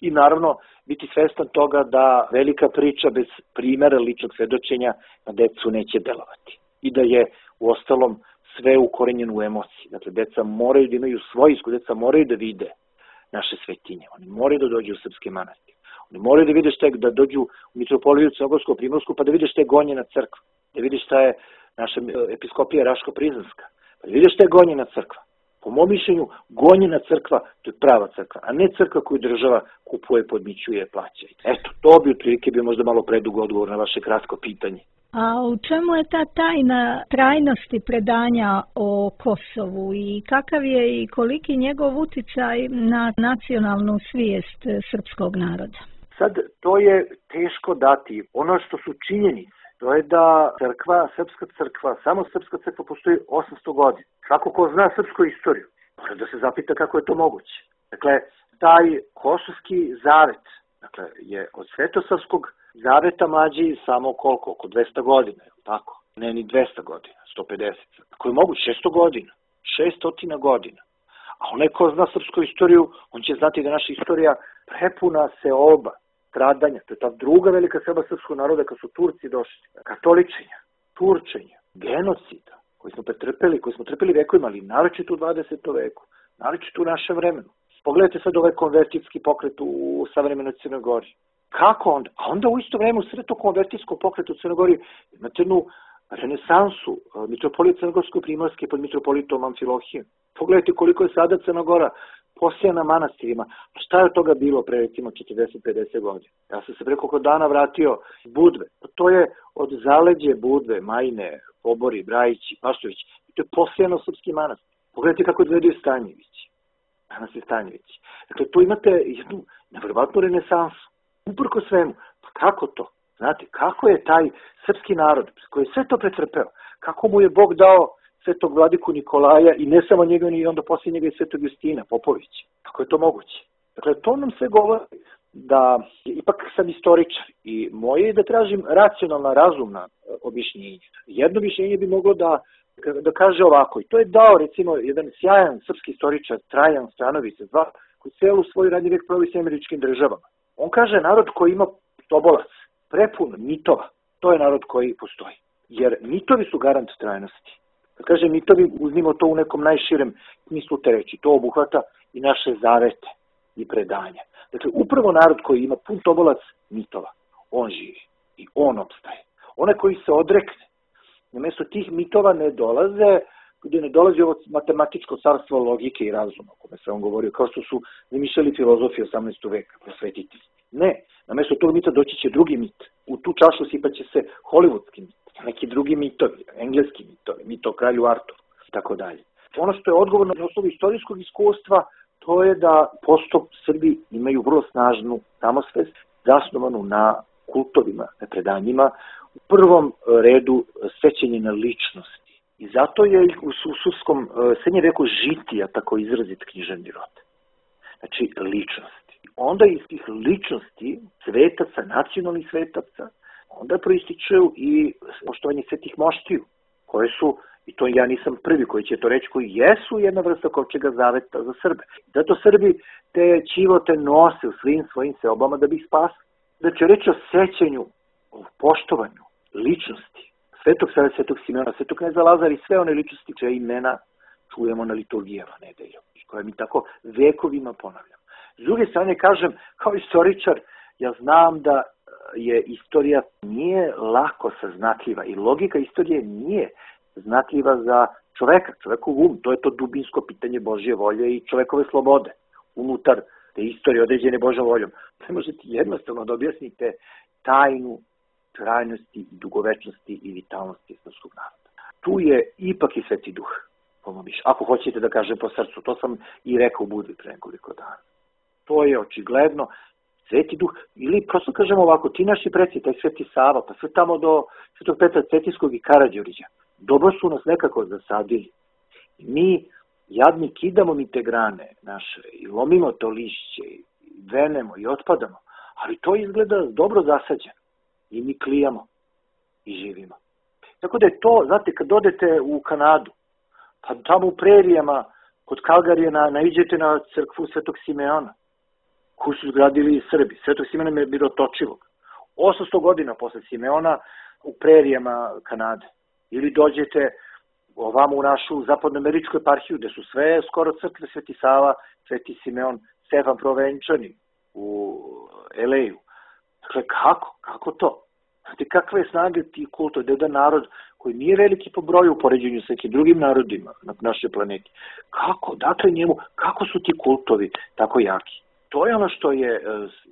I naravno, biti svestan toga da velika priča bez primjera ličnog svedočenja na decu neće delovati. I da je u ostalom sve ukorenjeno u emociji. Dakle, deca moraju da imaju svoj iskus, deca moraju da vide naše svetinje. Oni moraju da dođu u srpske manastire. Oni moraju da vide šta je, da dođu u Mitropoliju Crnogorsko-Primorsku, pa da vide šta je Gonjena crkva. Da vide šta je naša episkopija Raško-Prizrenska. Pa da vide šta je Gonjena crkva. Po mom mišljenju, Gonjena crkva, to je prava crkva, a ne crkva koju država kupuje, podmićuje, plaća. Eto, to bi otprilike bio možda malo predugo odgovor na vaše kratko pitanje. A u čemu je ta tajna trajnosti predanja o Kosovu i kakav je i koliki njegov uticaj na nacionalnu svijest srpskog naroda? sad, to je teško dati. Ono što su činjenice, to je da crkva, srpska crkva, samo srpska crkva postoji 800 godina. Svako ko zna srpsku istoriju, mora da se zapita kako je to moguće. Dakle, taj Kosovski zavet, dakle, je od Svetosavskog zaveta mlađi samo koliko? Oko 200 godina, tako? Ne ni 200 godina, 150. Ako je moguće, 600 godina, 600 godina. A onaj ko zna srpsku istoriju, on će znati da naša istorija prepuna seoba, stradanja. To je ta druga velika seoba srpskog naroda kad su Turci došli. Katoličenja, Turčenja, genocida koji smo trpeli vekovima, ali naročito u 20. veku, naročito u našem vremenu. Pogledajte sad ovaj konvertitski pokret u savremenoj Crnoj Gori. Kako onda? A onda u isto vreme u sred tog konvertitskog pokreta u Crnoj Gori imate jednu renesansu mitropolita Crnogorsko-Primorske pod mitropolitom Amfilohijom. Pogledajte koliko je sada Crna Gora posijana manastirima. A šta je od toga bilo pre recimo 40-50 godina? Ja sam se preko dana vratio iz Budve. To je od zaleđe Budve, Majne, Obori, Brajići, Paštovići. To je posijano srpski manastir. Pogledajte kako izgledaju Stanjevići. Danas je Stanjevići. Dakle, tu imate jednu nevjerovatnu renesansu. Uprko svemu. Pa kako to? Znate, kako je taj srpski narod koji je sve to pretrpeo, kako mu je Bog dao svetog vladiku Nikolaja i ne samo njega, ni onda poslije njega i svetog Justina Popovića. Kako je to moguće? Dakle, to nam sve govori da ipak sam istoričar i moje je da tražim racionalna, razumna objašnjenja. Jedno objašnjenje bi moglo da kaže ovako, i to je dao recimo jedan sjajan srpski istoričar Trajan Stanović II, koji celu svoj radni vek proveo s Američkim državama. On kaže narod koji ima tobolac, prepun mitova, to je narod koji postoji. Jer mitovi su garant trajnosti. Kad kaže mitovi, uzmimo to u nekom najširem smislu te reči. To obuhvata i naše zavete i predanja. Dakle, upravo narod koji ima pun tobolac mitova, on živi i on opstaje. Onaj koji se odrekne, namjesto tih mitova ne dolazi ovo matematičko carstvo logike i razuma, o kome se on govorio, kao što su zamišljali filozofi 18. veka, prosvetitelji. Ne, namjesto tog mita doći će drugi mit. U tu čašu sipaće se hollywoodski mit, neki drugi mitovi, engleski mitovi, mit o kralju Arturu i tako dalje. Ono što je odgovorno na osnovu istorijskog iskustva, to je da posto Srbi imaju vrlo snažnu samosvest, zasnovanu na kultovima, na predanjima, u prvom redu sećanje na ličnosti. I zato je u suskom srednjem veku žitija tako izrazit književni rod. Znači, ličnosti. Onda iz tih ličnosti svetaca, nacionalnih svetaca, onda proističu i poštovanje svetih moštiju, koje su, i to ja nisam prvi koji će to reći, koji jesu jedna vrsta kovčega zaveta za Srbe. Zato Srbi te ćivote nose u svim svojim seobama da bi ih spasili. Znači, reći o sećanju, o poštovanju ličnosti Svetog Save, Svetog Simeona, Svetog kneza Lazara i sve one ličnosti čije imena čujemo na liturgijama nedeljom, koje mi tako vekovima ponavljamo. S druge strane, kažem, kao istoričar, ja znam da je istorija nije lako saznatljiva i logika istorije nije znatljiva za čoveka, čovekov um, to je to dubinsko pitanje Božje volje i čovekove slobode unutar te istorije određene Božjom voljom. Ne možete jednostavno da objasnite tajnu trajnosti i dugovečnosti i vitalnosti srpskog naroda. Tu je ipak i Sveti Duh, ako hoćete da kažem po srcu, to sam i rekao u Budvi pre nekoliko dana. To je očigledno Sveti Duh, ili prosto kažemo ovako, ti naši preci, taj Sveti Sava, pa sve tamo do Svetog Petra Cetinskog i Karađorđa, dobro su nas nekako zasadili. I mi, jadni, kidamo mi te grane naše i lomimo to lišće, i venemo i otpadamo, ali to izgleda dobro zasađeno. I mi klijamo i živimo. Tako da je to, znate, kad odete u Kanadu, pa tamo u prerijama, kod Kalgarije, naiđete na crkvu Svetog Simeona, koju su zgradili Srbi. Svetog Simeona je bilo točivog. 800 godina posle Simeona u prerijama Kanade. Ili dođete ovamo u našu zapadnoameričku eparhiju, gde su sve skoro crkve Sveti Sava, Sveti Simeon, Stefan Provenčani u LA-u. Dakle, kako to? Znate, kakve je snage ti kultovi, da je jedan narod koji nije veliki po broju u poređenju sa nekim drugim narodima na našoj planeti. Kako? Dakle, kako su ti kultovi tako jaki? To je ono što je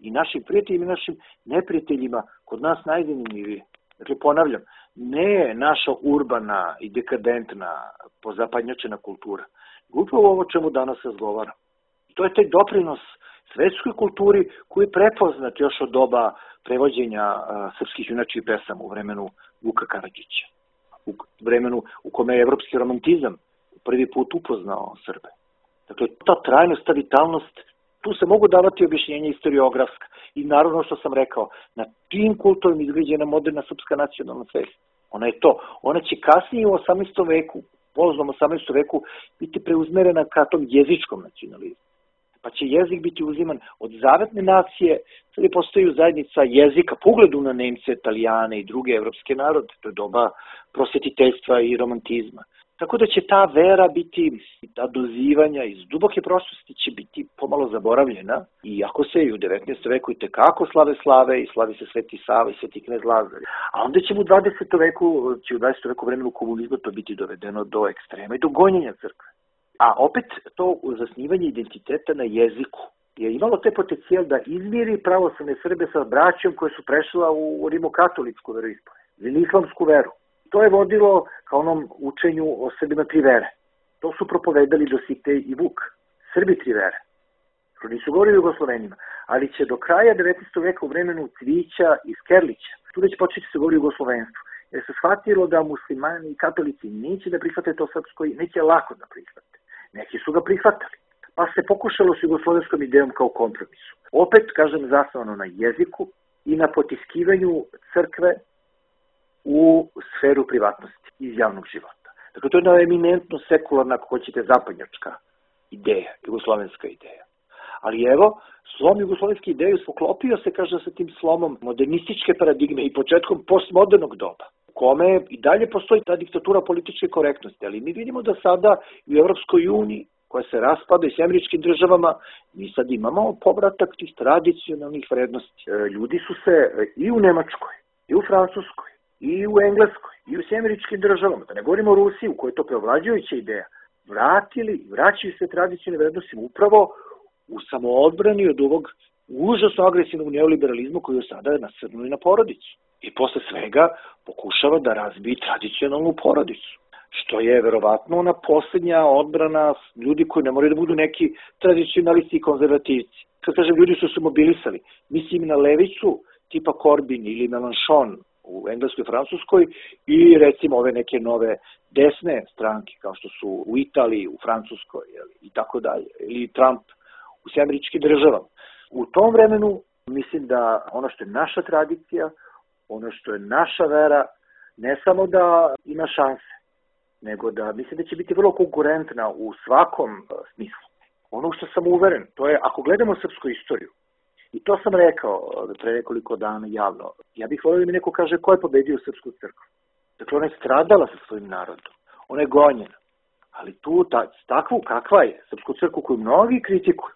i našim prijateljima i našim neprijateljima kod nas najzanimljivije. Dakle, ponavljam, ne naša urbana i dekadentna, pozapadnjačena kultura. Upravo ovo čemu danas razgovaram. To je taj doprinos svetskoj kulturi koji je prepoznat još od doba prevođenja srpskih junačih pesama u vremenu Vuka Karadžića, u vremenu u kome je evropski romantizam prvi put upoznao Srbe. Dakle, ta trajnost, ta vitalnost, tu se mogu davati objašnjenja istoriografska i naravno što sam rekao, na tim kultovima izgrađena moderna srpska nacionalna svest. Ona je to. Ona će kasnije u 18. veku, poznom 18. veku, biti preuzmerena ka tom jezičkom nacionalizmu. Pa će jezik biti uziman od zavetne nacije, sad je postaju zajednica jezika, po ugledu na Nemce, Italijane i druge evropske narode, to je doba prosvetiteljstva i romantizma. Tako da će ta vera biti, ta dozivanja iz duboke prošlosti će biti pomalo zaboravljena, iako se i u 19. veku i tekako slave i slavi se Sveti Sava i Sveti knez Lazar. A onda će u 20. veku vremenu komunizma to biti dovedeno do ekstrema i do gonjenja crkve. A opet to zasnivanje identiteta na jeziku je imalo te potencijal da izmiri pravoslavne Srbe sa braćom koje su prešla u rimokatoličku veroispovest, islamsku veru. To je vodilo ka onom učenju o Srbima tri vere. To su propovedali Dositej i Vuk. Srbi tri vere. To nisu govorili Jugoslovenima, ali će do kraja 19. veka u vremenu Cvića i Skerlića, tu već početi se govori o jugoslovenstvu, jer se shvatilo da muslimani i katolici neće da prihvate to srpsko i neće lako da prihvate. Neki su ga prihvatali, pa se pokušalo s jugoslovenskom idejom kao kompromisu. Opet, kažem, zasnovano na jeziku i na potiskivanju crkve u sferu privatnosti iz javnog života. Dakle, to je jedna eminentno sekularna, ako hoćete, zapadnjačka ideja, jugoslovenska ideja. Ali evo, slom jugoslovenske ideje poklopio se, kaže, sa tim slomom modernističke paradigme i početkom postmodernog doba, u kome i dalje postoji ta diktatura političke korektnosti, ali mi vidimo da sada u Evropskoj uniji, koja se raspada i s američkim državama, mi sad imamo povratak tih tradicionalnih vrednosti. Ljudi su se i u Nemačkoj, i u Francuskoj, i u Engleskoj, i u američkim državama, da ne govorimo o Rusiji, u kojoj je to preovlađujuća ideja, vraćaju se tradicionalne vrednosti upravo u samoodbrani od ovog užasno agresivnog neoliberalizma koji je sada nasrnuli na porodicu. I posle svega pokušava da razbije tradicionalnu porodicu, što je verovatno ona poslednja odbrana ljudi koji ne moraju da budu neki tradicionalisti i konzervativci. Kad kažem, ljudi su se mobilisali, mislim na levicu tipa Corbyn ili Mélenchon u Engleskoj i Francuskoj i recimo ove neke nove desne stranke kao što su u Italiji, u Francuskoj i tako dalje, ili Trump u američkim državama. U tom vremenu mislim da ono što je naša tradicija, ono što je naša vera, ne samo da ima šanse, nego da mislim da će biti vrlo konkurentna u svakom smislu. Ono što sam uveren, to je ako gledamo srpsku istoriju, i to sam rekao pre nekoliko dana javno, ja bih volio da mi neko kaže ko je pobedio Srpsku crkvu. Dakle, ona je stradala sa svojim narodom, ona je gonjena, ali tu takvu kakva je Srpsku crkvu koju mnogi kritikuju,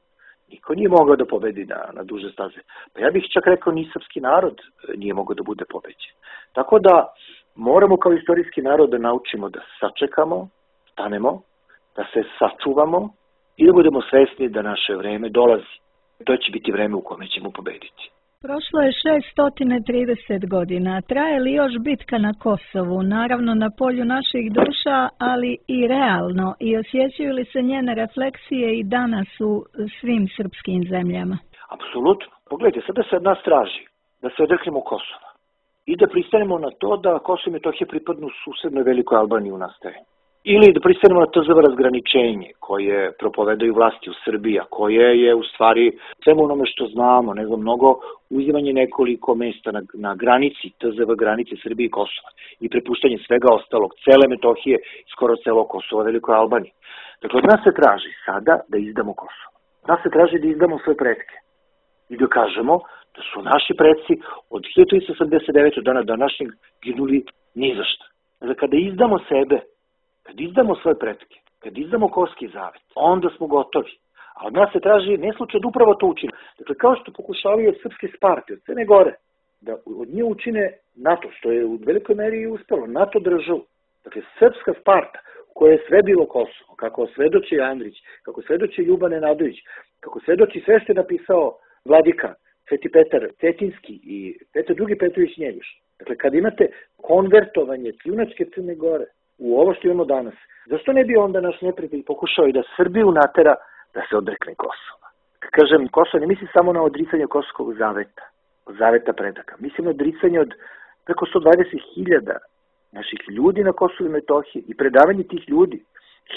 niko nije mogao da pobedi na duže staze. Pa ja bih čak rekao ni srpski narod nije mogao da bude pobeđen. Tako da moramo kao istorijski narod da naučimo da sačekamo, stanemo, da se sačuvamo i da budemo svesni da naše vreme dolazi. To će biti vreme u kome ćemo pobediti. Prošlo je 630 godina. Traje li još bitka na Kosovu? Naravno na polju naših duša, ali i realno. I osjećaju li se njene refleksije i danas u svim srpskim zemljama? Apsolutno. Pogledajte, sada se od nas traži da se odreknemo Kosova i da pristanemo na to da Kosovo i Metohija pripadnu susednoj Velikoj Albaniji u nastajanju. Ili da pristanemo na TZV razgraničenje koje propovedaju vlasti u Srbiji, a koje je u stvari svemu onome što znamo, nego mnogo uzimanje nekoliko mesta na granici, TZV granice Srbije i Kosova i prepuštanje svega ostalog, cele Metohije i skoro celo Kosova Velikoj Albaniji. Dakle, od nas se traži sada da izdamo Kosovo. Od nas se traži da izdamo svoje pretke i da kažemo da su naši preci od 1389. dana današnjeg ginuli ni za šta. Dakle, kada izdamo sebe, kad izdamo svoje pretke, kad izdamo Koski zavet, onda smo gotovi. A od nas se traži ne slučaj da upravo to učine. Dakle, kao što pokušavaju od Srpske Sparte, od Crne Gore, da od nje učine NATO, što je u velikoj meri i uspelo, NATO državu. Dakle, Srpska Sparta, u kojoj je sve bilo Kosovo, kako svedoči Andrić, kako svedoči Ljuban Nenadović, kako svedoči sve što je napisao Vladika, Sveti Petar Cetinski i Petar II. Petrović Njegoš. Dakle, kad imate konvertovanje kljunačke Crne Gore u ovo što imamo danas, zašto ne bi onda naš neprijatelj pokušao i da Srbiju natera da se odrekne Kosova? Kad kažem Kosovo, ne mislim samo na odricanje Kosovskog zaveta, od zaveta predaka. Mislim na odricanje od preko 120.000 naših ljudi na Kosovu i Metohiji i predavanje tih ljudi,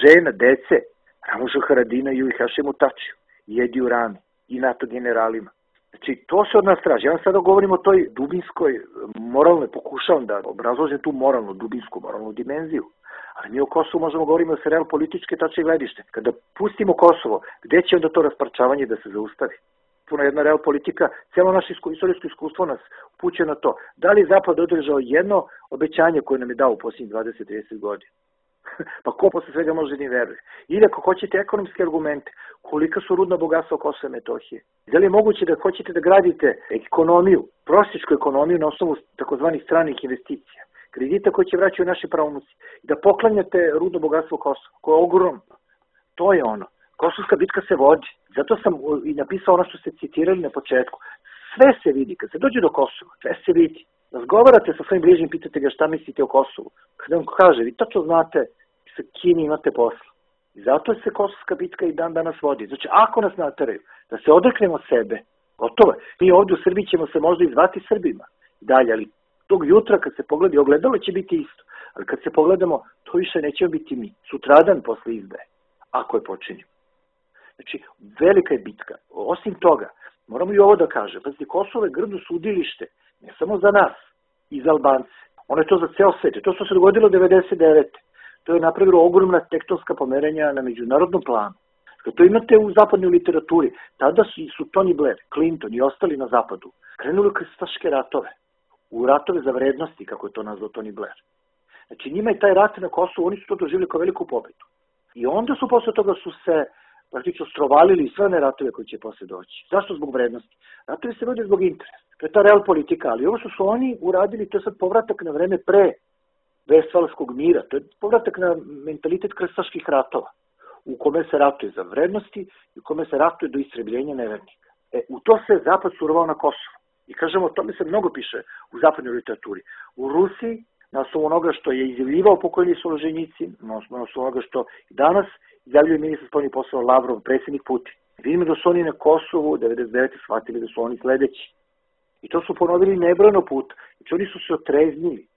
žena, dece, Ramušu Haradinaju i Hašimu Tačiju, i Ediju Rami, i NATO generalima. Znači, to se od nas traži. Ja vam sada govorim o toj dubinskoj, moralnoj, pokušavam da obrazložim tu moralnu, dubinsku, moralnu dimenziju. Ali mi o Kosovu možemo govoriti o real političke tačke gledište. Kada pustimo Kosovo, gde će onda to rasparčavanje da se zaustavi? Puna jedna real politika, cijelo naše istorijsko iskustvo nas upućuje na to. Da li je Zapad održao jedno obećanje koje nam je dao u posljednjih 20-30 godina? Pa ko posle svega može ni veruje? Ili ako hoćete ekonomske argumente, kolika su rudna bogatstva Kosova i Metohije? Da li je moguće da hoćete da gradite ekonomiju, prosječku ekonomiju na osnovu takozvanih stranih investicija, kredita koji će vraćaju naši pravnuci, da poklanjate rudno bogatstvo Kosova, koje je ogromno? To je ono. Kosovska bitka se vodi. Zato sam i napisao ono što ste citirali na početku. Sve se vidi. Kad se dođe do Kosova, sve se vidi. Razgovarate sa svojim bližnjim, pitate ga šta mislite o Kosovu. Kada vam kaže, vi tačno znate sa kim imate posla. I zato se Kosovska bitka i dan danas vodi. Znači, ako nas nateraju da se odreknemo sebe, gotovo je. Mi ovdje u Srbiji ćemo se možda izvati Srbima. Dalje, ali tog jutra kad se pogledi ogledalo će biti isto. Ali kad se pogledamo, to više nećemo biti mi. Sutradan posle izdaje, ako je počinimo. Znači, velika je bitka. Osim toga, moramo i ovo da kažem. Pazite, Kosovo je grdno sudilište, ne samo za nas, i za Albance. Ono je to za ceo svet. To što se dogodilo 1999. To je napravilo ogromna tektonska pomerenja na međunarodnom planu. Kad to imate u zapadnoj literaturi, tada su Tony Blair, Clinton i ostali na zapadu krenuli krstaške ratove. U ratove za vrednosti, kako je to nazvao Tony Blair. Znači, njima je taj rat na Kosovu, oni su to doživjeli kao veliku pobedu. I onda su posle toga su se praktično strovalili sve one ratove koji će posle doći. Zašto? Zbog vrednosti. Ratovi se vode zbog interesa. To je ta real politika, ali ovo što su oni uradili, to je sad povratak na vreme pre Vestfalskog mira. To je povratak na mentalitet krstaških ratova, u kome se ratuje za vrednosti i u kome se ratuje do istrebljenja nevernika. U to se Zapad surovao na Kosovu. I kažemo, o tome se mnogo piše u zapadnoj literaturi. U Rusiji, na osnovu onoga što je izjavljivao pokojni Solženjicin, na osnovu onoga što i danas izjavljuje ministar spoljnih poslova Lavrov, predsjednik Putin. Vidimo da su oni na Kosovu 99. shvatili da su oni sledeći. I to su ponovili nebrojeno puta. Znači oni su se otreznili.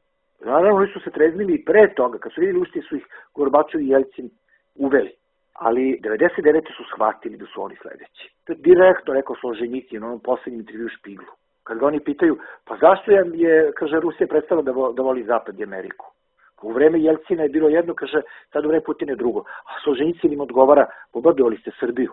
Naravno, oni su se treznili i pre toga, kad su vidjeli ušte su ih Gorbačov i Jelcin uveli. Ali 99. su shvatili da su oni sledeći. To je direktno rekao Solženjicin na onom poslednjem intervju u Špiglu. Kad ga oni pitaju, pa zašto je, kaže, Rusija prestala da voli Zapad i Ameriku? U vreme Jelcina je bilo jedno, kaže, sad u vreme Putina je drugo. A Solženjicin im odgovara, poborbovali ste Srbiju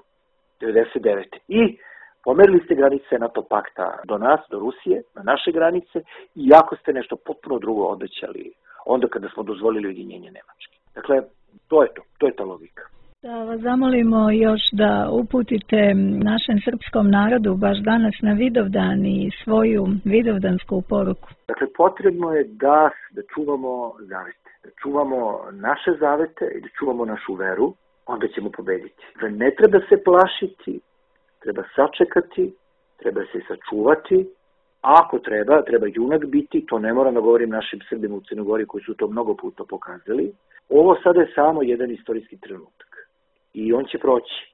99. I pomerili ste granice NATO pakta do nas, do Rusije, na naše granice, i jako ste nešto potpuno drugo obećali onda kada smo dozvolili ujedinjenje Nemačke. Dakle, to je ta logika. Da vas zamolimo još da uputite našem srpskom narodu baš danas na Vidovdan i svoju vidovdansku poruku. Dakle, potrebno je da čuvamo zavete, da čuvamo naše zavete i da čuvamo našu veru, onda ćemo pobediti. Dakle, ne treba se plašiti, treba sačekati, treba se sačuvati, a ako treba junak biti, to ne moram da govorim našim Srbima u Crnoj Gori koji su to mnogo puta pokazali. Ovo sada je samo jedan istorijski trenutak. I on će proći.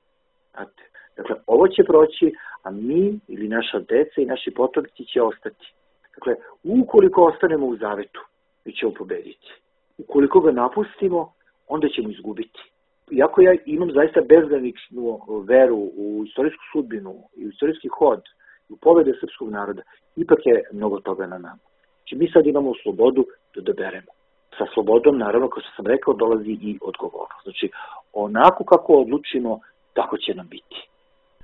Znate? Dakle, ovo će proći, a mi ili naša deca i naši potomci će ostati. Dakle, ukoliko ostanemo u zavetu, mi ćemo pobediti. Ukoliko ga napustimo, onda ćemo izgubiti. Iako ja imam zaista bezgraničnu veru u istorijsku sudbinu i u istorijski hod, u pobede srpskog naroda, ipak je mnogo toga na nama. Znači, mi sad imamo slobodu da odaberemo. Sa slobodom, naravno, kao što sam rekao, dolazi i odgovornost. Znači, onako kako odlučimo, tako će nam biti.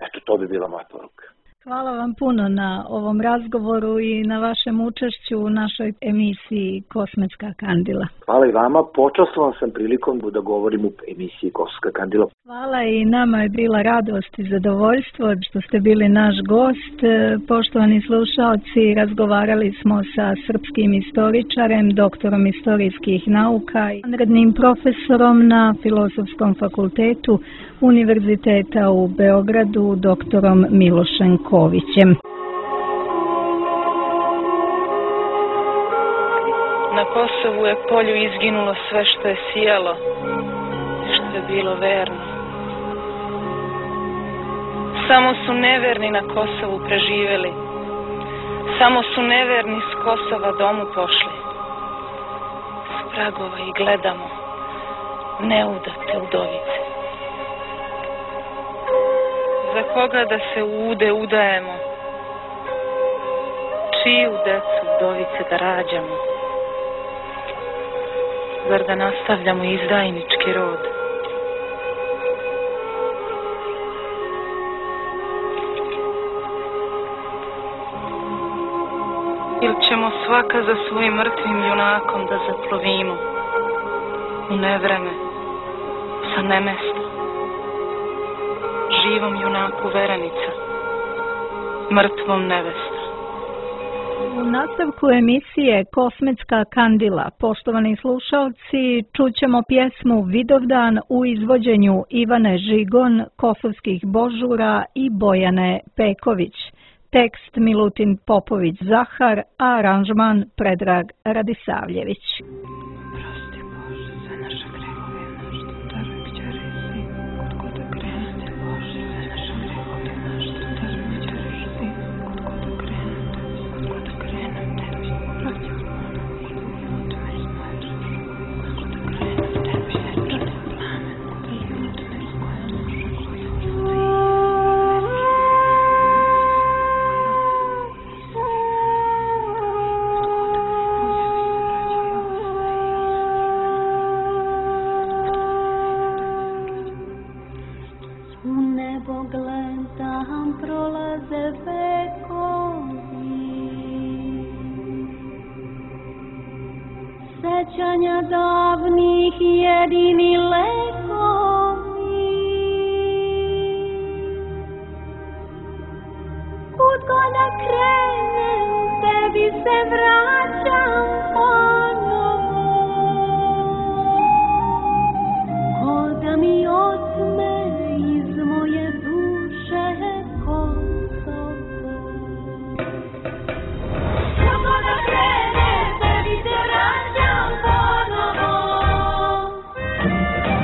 Eto, to bi bila moja poruka. Hvala vam puno na ovom razgovoru i na vašem učešću u našoj emisiji Kosmetska kandila. Hvala i vama. Počastvovan sam prilikom da govorim u emisiji Kosmetska kandila. Hvala i nama je bila radost i zadovoljstvo što ste bili naš gost. Poštovani slušaoci, razgovarali smo sa srpskim istoričarem, doktorom istorijskih nauka i vanrednim profesorom na Filozofskom fakultetu Univerziteta u Beogradu, doktorom Milošem Kovićem. Na Kosovu je polju izginulo sve što je sijalo, što je bilo verno. Samo su neverni na Kosovu preživjeli. Samo su neverni s Kosova domu pošli. S pragova i gledamo neudate udovice. Za koga da se ude udajemo? Čiju decu udovice da rađamo? Zar da nastavljamo izdajnički rod? Ili ćemo svaka za svojim mrtvim junakom da zaplovimo u nevreme sa nemesta? Živom junaku verenica, mrtvom nevesta. U nastavku emisije Kosmetska kandila, poštovani slušalci, čućemo pjesmu Vidovdan u izvođenju Ivane Žigon, Kosovskih Božura i Bojane Peković. Tekst Milutin Popović-Zahar, a aranžman Predrag Radisavljević. Sećanja davnih jedini lekovi, kud god da krenem, tebi se vraćam ponovo, ko da mi otme iz moje duše Kosovo. Kud god da krenem, tebi se vraćam ponovo, ko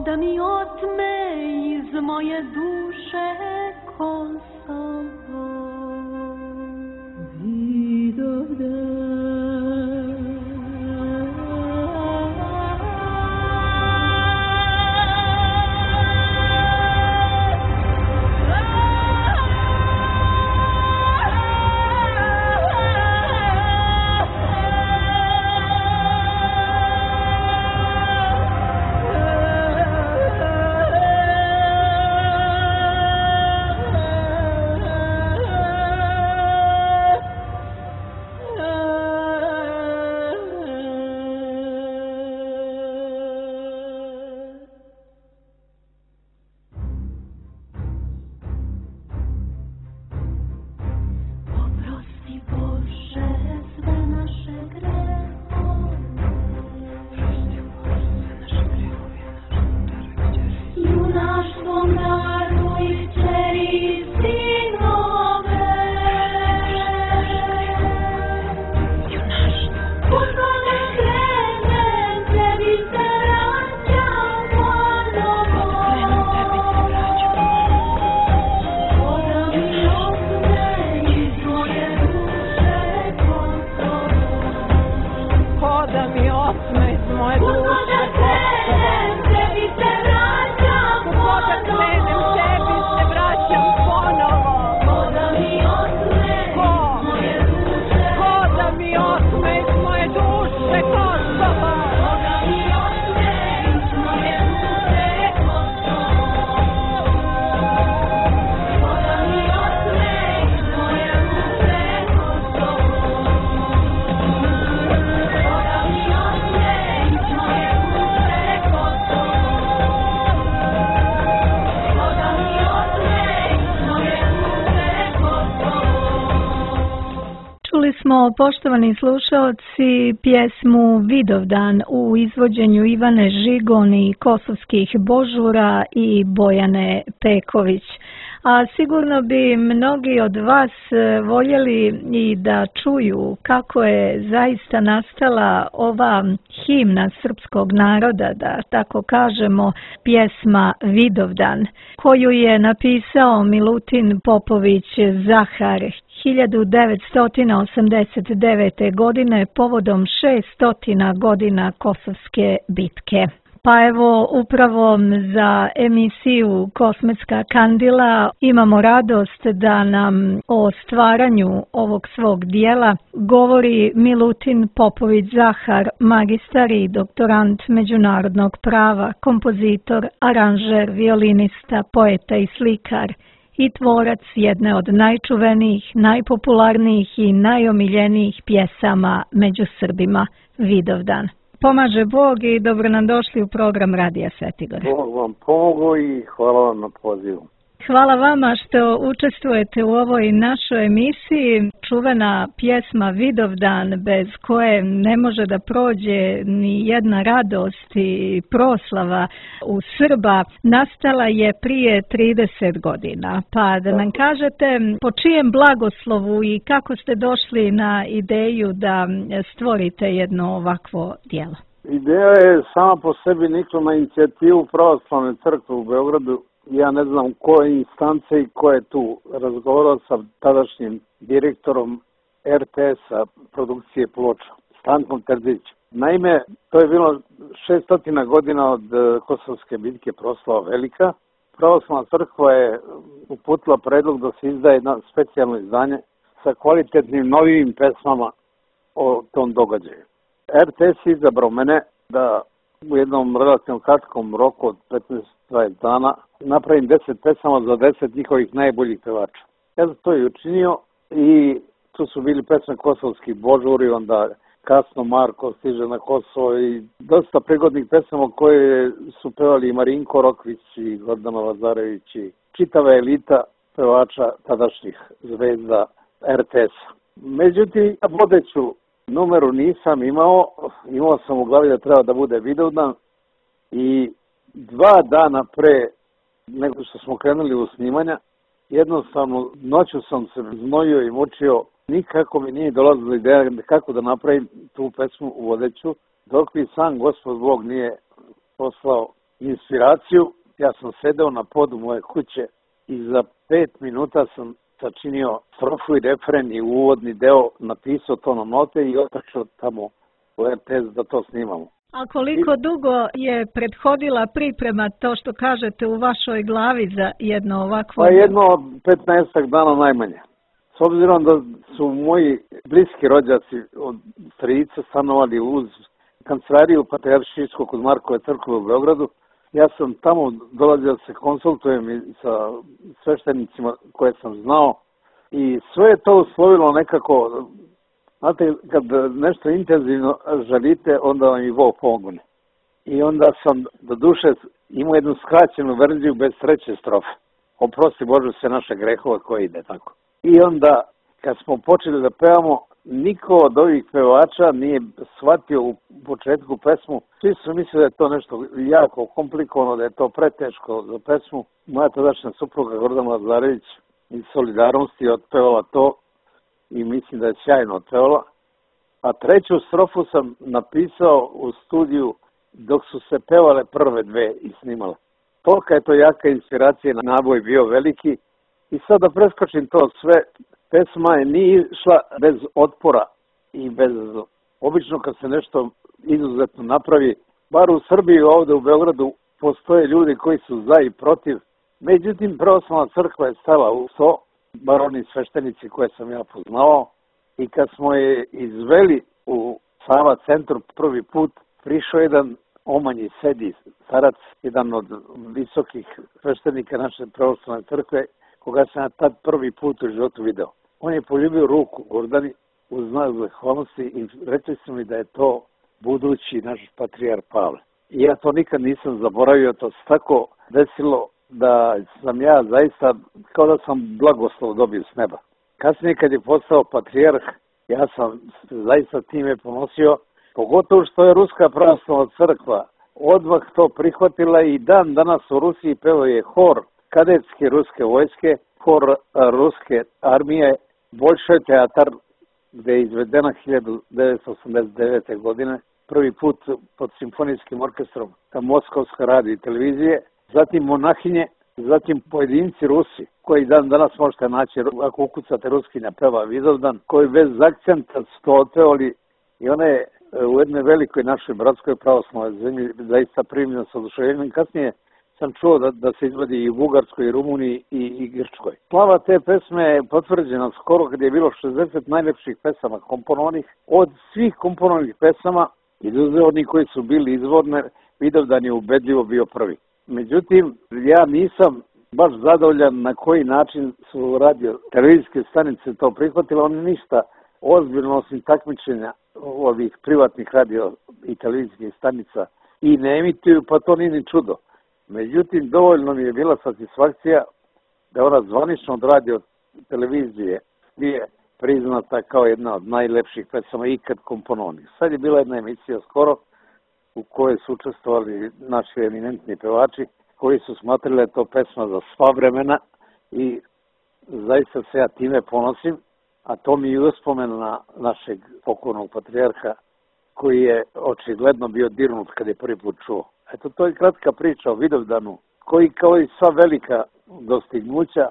da mi otme iz moje duše Kosovo. Slušamo, poštovani slušaoci, pjesmu Vidovdan u izvođenju Ivane Žigon i Kosovskih Božura i Bojane Peković. A sigurno bi mnogi od vas voljeli i da čuju kako je zaista nastala ova himna srpskog naroda, da tako kažemo, pjesma Vidovdan, koju je napisao Milutin Popović Zahar 1989. godine povodom 600 godina Kosovske bitke. Pa evo, upravo za emisiju Kosmetska kandila imamo radost da nam o stvaranju ovog svog dijela govori Milutin Popović Zahar, magistar i doktorant međunarodnog prava, kompozitor, aranžer, violinista, poeta i slikar i tvorac jedne od najčuvenijih, najpopularnijih i najomiljenijih pjesama među Srbima, Vidovdan. Pomaže Bog i dobro nam došli u program Radija Svetigora. Bog vam pomogao i hvala vam na pozivu. Hvala vama što učestvujete u ovoj našoj emisiji. Čuvena pjesma Vidovdan, bez koje ne može da prođe ni jedna radost i proslava u Srba, nastala je prije 30 godina. Pa da nam kažete po čijem blagoslovu i kako ste došli na ideju da stvorite jedno ovakvo djelo? Ideja je sama po sebi nikla na inicijativu Pravoslavne crkve u Beogradu. Ja ne znam koje instance i ko je tu razgovarao sa tadašnjim direktorom RTS-a produkcije ploča, Stankom Terzićem. Naime, to je bilo 600 godina od Kosovske bitke, proslava velika. Pravoslavna crkva je uputila predlog da se izdaje jedno specijalno izdanje sa kvalitetnim novim pesmama o tom događaju. RTS je izabrao mene da u jednom relativno kratkom roku od 15-20 dana napravim 10 pesama za 10 njihovih najboljih pevača. Ja sam to i učinio i tu su bili pesme Kosovskih Božuri, onda Kasno Marko stiže na Kosovo i dosta prigodnih pesama koje su pevali i Marinko Rokvić i Gordana Lazarević i čitava elita pevača tadašnjih zvezda RTS-a. Međutim, vodeću numeru nisam imao sam u glavi da treba da bude Vidovdan i 2 dana pre nego što smo krenuli u snimanja, jednostavno noću sam se znojio i mučio, nikako mi nije dolazila ideja kako da napravim tu pesmu u vodeću, dok mi sam Gospod Bog nije poslao inspiraciju. Ja sam sedeo na podu moje kuće i za 5 minuta sam sačinio strofu i refren i uvodni deo, napisao to na note i otašao tamo u RTS da to snimamo. A koliko dugo je prethodila priprema, to što kažete, u vašoj glavi za jedno ovakvo? Pa jedno 15 dana najmanje. S obzirom da su moji bliski rođaci od strica stanovali uz kancelariju Patrijaršijskog kod Markove crkve u Beogradu, ja sam tamo dolazio da se konsultujem i sa sveštenicima koje sam znao i sve je to uslovilo nekako. Znate, kad nešto intenzivno želite, onda vam i Bog pomogne. I onda sam do duše imao jednu skraćenu verziju bez 3. strofe. Oprosti Bože sve naše grehove koje ide tako. I onda, kad smo počeli da pevamo, niko od ovih pevača nije shvatio u početku pesmu. Svi su mislili da je to nešto jako komplikovano, da je to preteško za pesmu. Moja tadašnja supruga Gordana Lazarević iz solidarnosti je otpevala to i mislim da je sjajno otpevala. A 3. strofu sam napisao u studiju dok su se pevale prve 2 i snimale. Tolika je to jaka inspiracija, naboj bio veliki. I sad da preskočim to sve, pesma je nije išla bez otpora i bez... Obično kad se nešto izuzetno napravi, bar u Srbiji ovdje u Beogradu postoje ljudi koji su za i protiv. Međutim, Pravoslavna crkva je stala u to, bar oni sveštenici koje sam ja poznao, i kad smo je izveli u Sava centru prvi put, prišao jedan omanji sedi starac, jedan od visokih sveštenika naše Pravoslavne crkve, koga sam ja tad prvi put u životu video. On je poljubio ruku Gordani u znak zahvalnosti i rekli su mi da je to budući naš patrijar Pavle. I ja to nikad nisam zaboravio, to se tako desilo da sam ja zaista, kao da sam blagoslov dobio s neba. Kasnije kad je postao patrijarh, Ja sam zaista time ponosio, pogotovo što je Ruska pravoslavna crkva odmah to prihvatila i dan danas u Rusiji pevaju hor kadetske ruske vojske, hor ruske armije, Bolšoj teatar, gde je izvedena 1989. godine, prvi put pod simfonijskim orkestrom Moskovska radio i televizije, zatim monahinje, zatim pojedinci Rusi, koji dan danas možete naći, ako ukucate Ruskinja peva Vidovdan, koji bez akcenta su to otpevali i ona je u jednoj velikoj našoj bratskoj pravoslavnoj zemlji zaista primljena sa oduševljenjem. Kasnije sam čuo da se izvodi i u Bugarskoj, i Rumuniji, i Grčkoj. Slava te pesme je potvrđena skoro kad je bilo 60 najlepših pesama komponovanih. Od svih komponovanih pesama, izuzev onih koji su bili izvorne, Vidovdan je ubedljivo bio prvi. Međutim, ja nisam baš zadovoljan na koji način su radio televizijske stanice to prihvatile. Oni ništa ozbiljno osim takmičenja ovih privatnih radio i televizijskih stanica i ne emituju, pa to nije ni čudo. Međutim, dovoljno mi je bila satisfakcija da ona zvanično od radio televizije je priznata kao jedna od najlepših pesama ikad komponovanih. Sad je bila jedna emisija skoro u kojoj su učestvovali naši eminentni pevači koji su smatrali da je to pesma za sva vremena i zaista se ja time ponosim, a to mi je uspomen na našeg pokojnog patrijarha koji je očigledno bio dirnut kad je prvi put čuo. Eto, to je kratka priča o Vidovdanu, koji kao i sva velika dostignuća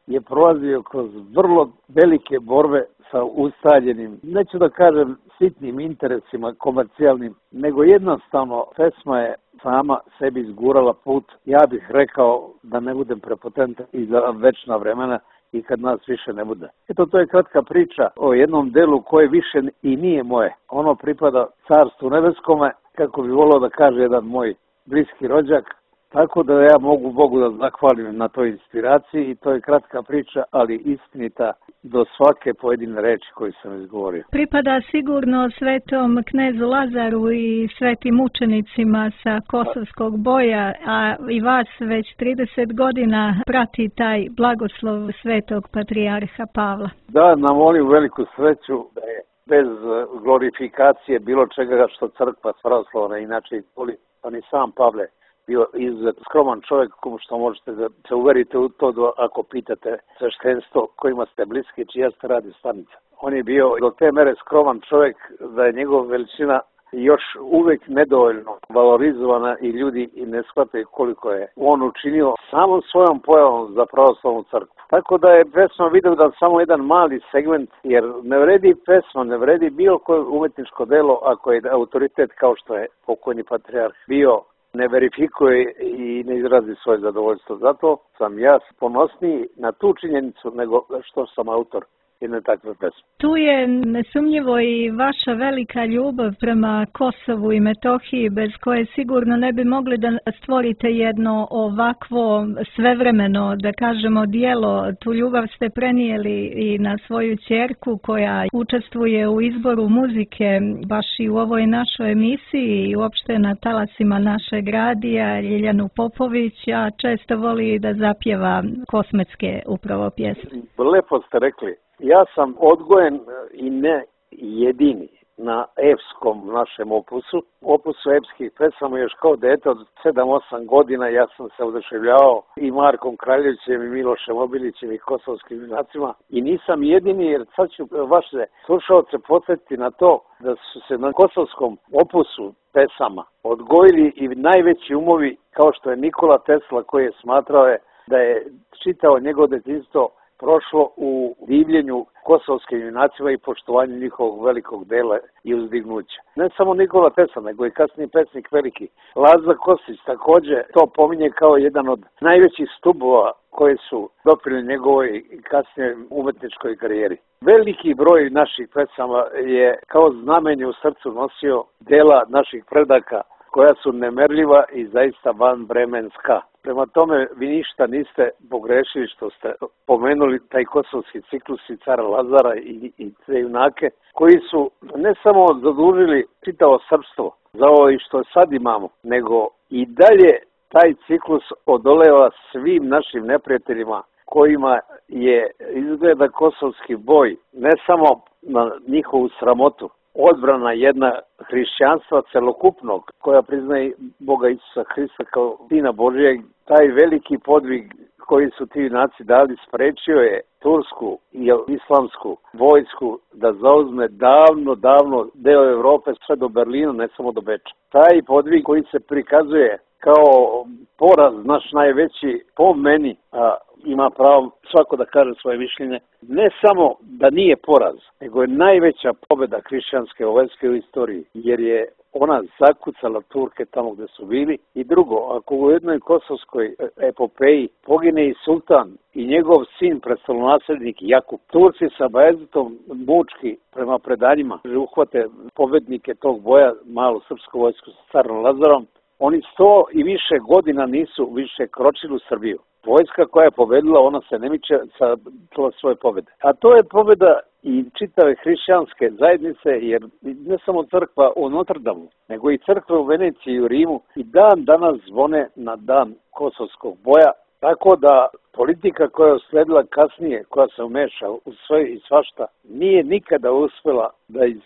je prolazio kroz vrlo velike borbe sa ustaljenim, neću da kažem sitnim interesima komercijalnim, nego jednostavno pesma je sama sebi izgurala put, ja bih rekao da ne budem prepotentan i za večna vremena i kad nas više ne bude. Eto, to je kratka priča o jednom delu koje više i nije moje. Ono pripada Carstvu nebeskome, kako bi volio da kaže jedan moj bliski rođak, tako da ja mogu Bogu da zahvalim na toj inspiraciji i to je kratka priča, ali istinita do svake pojedine reči koju sam izgovorio. Pripada sigurno svetom knezu Lazaru i svetim učenicima sa Kosovskog boja, a i vas već 30 godina prati taj blagoslov svetog patrijarha Pavla. Da, nam molim veliku sreću da je bez glorifikacije bilo čega što crkva pravoslavna inače voli, pa ni sam Pavle bio izuzetno skroman čovjek, komu što možete da se uverite u to ako pitate sveštenstvo kojima ste bliski, čija ste radio stanica. On je bio do te mere skroman čovjek da je njegova veličina još uvek nedovoljno valorizovana i ljudi i ne shvataju koliko je on učinio samom svojom pojavom za pravoslavnu crkvu. Tako da je pesma Vidovdan samo jedan mali segment, jer ne vredi pesma, ne vredi bilo koje umetničko delo ako je autoritet kao što je pokojni patrijarh bio, ne verifikuje i ne izrazi svoje zadovoljstvo. Zato sam ja ponosniji na tu činjenicu nego što sam autor jedne takve pesme. Tu je nesumnjivo i vaša velika ljubav prema Kosovu i Metohiji, bez koje sigurno ne bi mogli da stvorite jedno ovakvo svevremeno, da kažemo, dijelo. Tu ljubav ste prenijeli i na svoju ćerku koja učestvuje u izboru muzike baš i u ovoj našoj emisiji i uopšte na talasima našeg radija, Ljiljanu Popović, a često voli da zapjeva kosmetske upravo pjesme. Lepo ste rekli. Ja sam odgojen i ne jedini na epskom našem opusu epskih pesama još kao dete od 7-8 godina. Ja sam se oduševljavao i Markom Kraljevićem i Milošem Obilićem i kosovskim junacima i nisam jedini, jer sad ću vaše slušalce podsjetiti na to da su se na kosovskom opusu pesama odgojili i najveći umovi kao što je Nikola Tesla, koji je smatrao da je čitao njegovo detinjstvo prošlo u divljenju kosovskim junacima i poštovanju njihovog velikog dela i uzdignuća. Ne samo Nikola Tesla, nego i kasniji pesnik veliki Laza Kostić također to pominje kao jedan od najvećih stubova koji su doprinijeli njegovoj kasnije umetničkoj karijeri. Veliki broj naših pesama je kao znamenje u srcu nosio dela naših predaka koja su nemerljiva i zaista vanvremenska. Prema tome, vi ništa niste pogrešili što ste pomenuli taj kosovski ciklus i cara Lazara i te junake, koji su ne samo zadužili čitavo srpstvo za ovo i što sad imamo, nego i dalje taj ciklus odoleva svim našim neprijateljima kojima je izgleda kosovski boj ne samo na njihovu sramotu. Odbrana jedna hrišćanstva celokupnog, koja priznaje Boga Isusa Hrista kao Sina Božijeg, taj veliki podvig koji su ti junaci dali sprečio je tursku i islamsku vojsku da zauzme davno deo Evrope sve do Berlina, ne samo do Beča. Taj podvig koji se prikazuje kao poraz naš najveći, po meni, a ima pravo svako da kaže svoje mišljenje, ne samo da nije poraz, nego je najveća pobjeda hrišćanske vojske u istoriji, jer je ona zakucala Turke tamo gde su bili. I drugo, ako u jednoj kosovskoj epopeji pogine i sultan i njegov sin, prestolonaslednik Jakub, Turci sa Bajezetom mučki prema predanjima uhvate pobednike tog boja, malu srpsku vojsku sa carom Lazarom, oni 100 i više godina nisu više kročili u Srbiju. Vojska koja je pobedila, ona se ne miče sa svoje pobjede. A to je pobjeda i čitave hrišćanske zajednice, jer ne samo crkva u Notre Damu, nego i crkve u Veneciji i u Rimu i dan danas zvone na dan kosovskog boja, tako da politika koja je usledila kasnije, koja se umeša u sve i svašta, nije nikada uspjela da iz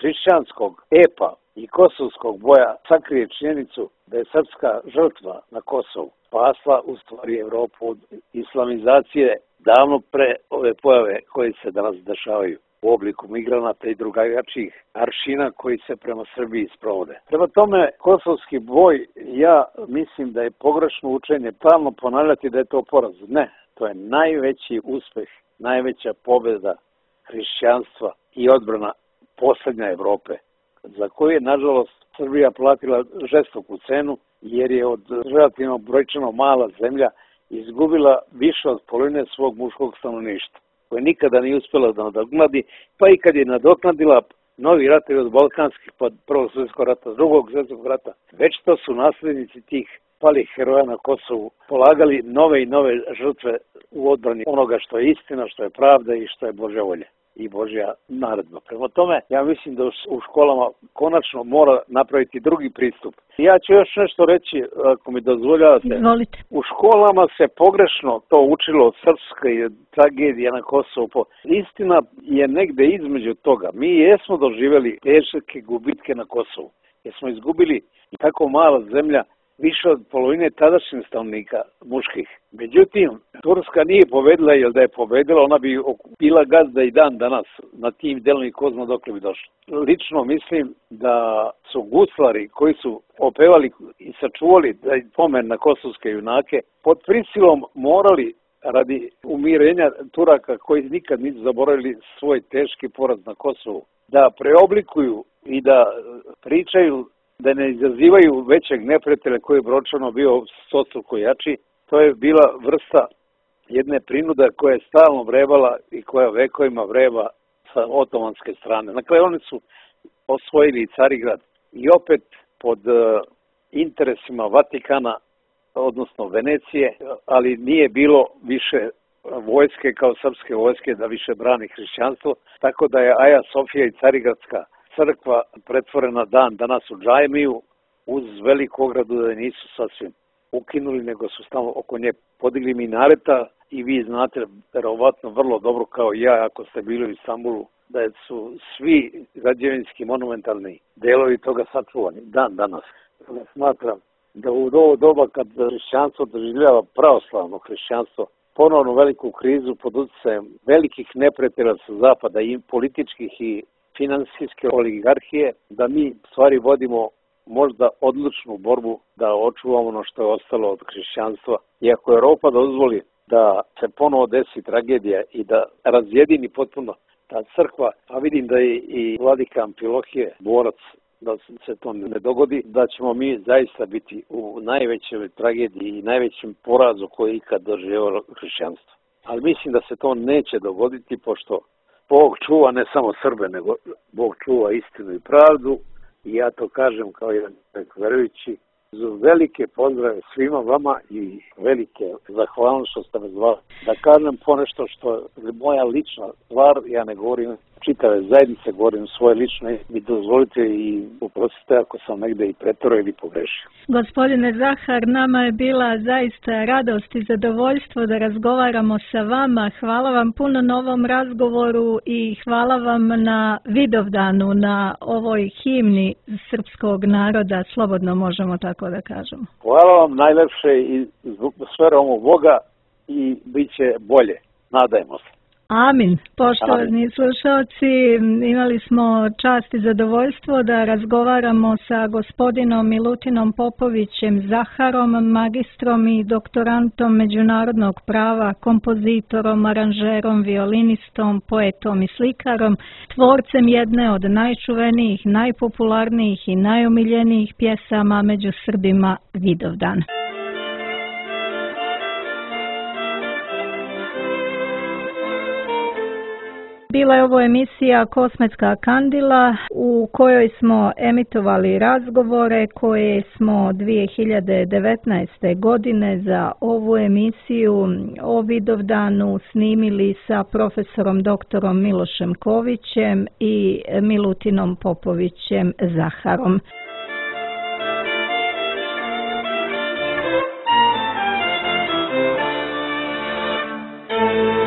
hrišćanskog epa i kosovskog boja sakrije činjenicu da je srpska žrtva na Kosovu spasla u stvari Evropu od islamizacije davno pre ove pojave koje se danas dešavaju u obliku migranata i drugačijih aršina koji se prema Srbiji sprovode. Prema tome, kosovski boj, ja mislim da je pogrešno učenje stalno ponavljati da je to poraz. Ne, to je najveći uspeh, najveća pobjeda hrišćanstva i odbrana poslednja Evrope, za koju je, nažalost, Srbija platila žestoku cenu, jer je od relativno brojčano mala zemlja izgubila više od polovine svog muškog stanovništva, koje nikada nije uspjela da nadoknadi, pa i kad je nadoknadila novi ratovi od balkanskih, pa Prvog svjetskog rata, Drugog svjetskog rata, već to su naslednici tih palih heroja na Kosovu polagali nove i nove žrtve u odbrani onoga što je istina, što je pravda i što je Božja volja i Božja naredba. Prema tome, ja mislim da u školama konačno mora napraviti drugi pristup. Ja ću još nešto reći, ako mi dozvoljavate. Izvolite. U školama se pogrešno to učilo od srpske tragedije na Kosovu. Istina je negde između toga. Mi jesmo doživjeli teške gubitke na Kosovu, jer smo izgubili tako mala zemlja, više od polovine tadašnjih stanovnika muških. Međutim, Turska nije pobedila, jer da je pobedila, ona bi bila gazda i dan danas na tim delom i ko zna dokle bi došla. Lično mislim da su guslari koji su opevali i sačuvali taj pomen na kosovske junake, pod prisilom morali, radi umirenja Turaka koji nikad nisu zaboravili svoj teški poraz na Kosovu, da preoblikuju i da pričaju, da ne izazivaju većeg neprijatelja koji je brojčano bio stostruko jači. To je bila vrsta jedne prinude koja je stalno vrebala i koja vekovima vreba sa otomanske strane. Na kraju oni su osvojili Carigrad i opet pod interesima Vatikana, odnosno Venecije, ali nije bilo više vojske kao srpske vojske da više brani hrišćanstvo, tako da je Aja Sofija i Carigradska crkva pretvorena dan danas u džajmiju, uz veliku ogradu da nisu sasvim ukinuli, nego su tamo oko nje podigli minareta i vi znate verovatno vrlo dobro kao ja, ako ste bili u Istanbulu, da su svi građevinski monumentalni delovi toga sačuvani dan danas. Smatram da u ovo doba kad hrišćanstvo doživljava pravoslavno hrišćanstvo ponovno veliku krizu pod utjecajem velikih neprijatelja sa zapada i političkih i finansijske oligarhije, da mi stvari vodimo možda odlučnu borbu da očuvamo ono što je ostalo od hrišćanstva. I ako Evropa dozvoli da se ponovo desi tragedija i da razjedini potpuno ta crkva, a vidim da je i vladika Amfilohije borac da se to ne dogodi, da ćemo mi zaista biti u najvećoj tragediji i najvećem porazu koji je ikad doživjelo hrišćanstvo. Ali mislim da se to neće dogoditi, pošto Bog čuva ne samo Srbe, nego Bog čuva istinu i pravdu. I ja to kažem kao jedan verujući. Velike pozdrave svima vama i velike zahvalnost što ste me zvali. Da kažem ponešto što je moja lična stvar, ja ne govorim čitave zajednice, govorim svoje lično, mi dozvolite i oprostite ako sam negde i preterao ili pogrešio. Gospodine Zahar, nama je bila zaista radost i zadovoljstvo da razgovaramo sa vama. Hvala vam puno na ovom razgovoru i hvala vam na Vidovdanu, na ovoj himni srpskog naroda, slobodno možemo tako da kažemo. Hvala vam najlepše i sferom Boga i bit će bolje. Nadajmo se. Amin. Poštovani slušalci, imali smo čast i zadovoljstvo da razgovaramo sa gospodinom Milutinom Popovićem Zaharom, magistrom i doktorantom međunarodnog prava, kompozitorom, aranžerom, violinistom, poetom i slikarom, tvorcem jedne od najčuvenijih, najpopularnijih i najomiljenijih pjesama među Srbima, Vidovdan. Bila je ovo emisija Kosmetska kandila u kojoj smo emitovali razgovore koje smo 2019. godine za ovu emisiju o Vidovdanu snimili sa profesorom doktorom Milošem Kovićem i Milutinom Popovićem Zaharom. Thank you.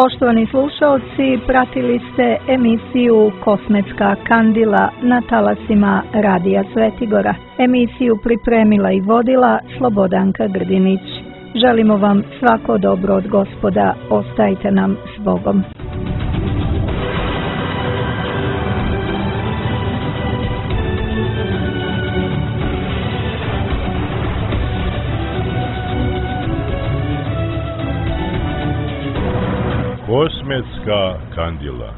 Poštovani slušaoci, pratili ste emisiju Kosmetska kandila na talasima Radija Svetigora. Emisiju pripremila i vodila Slobodanka Grdinić. Želimo vam svako dobro od Gospoda, ostajte nam s Bogom. Kosmetska kandila.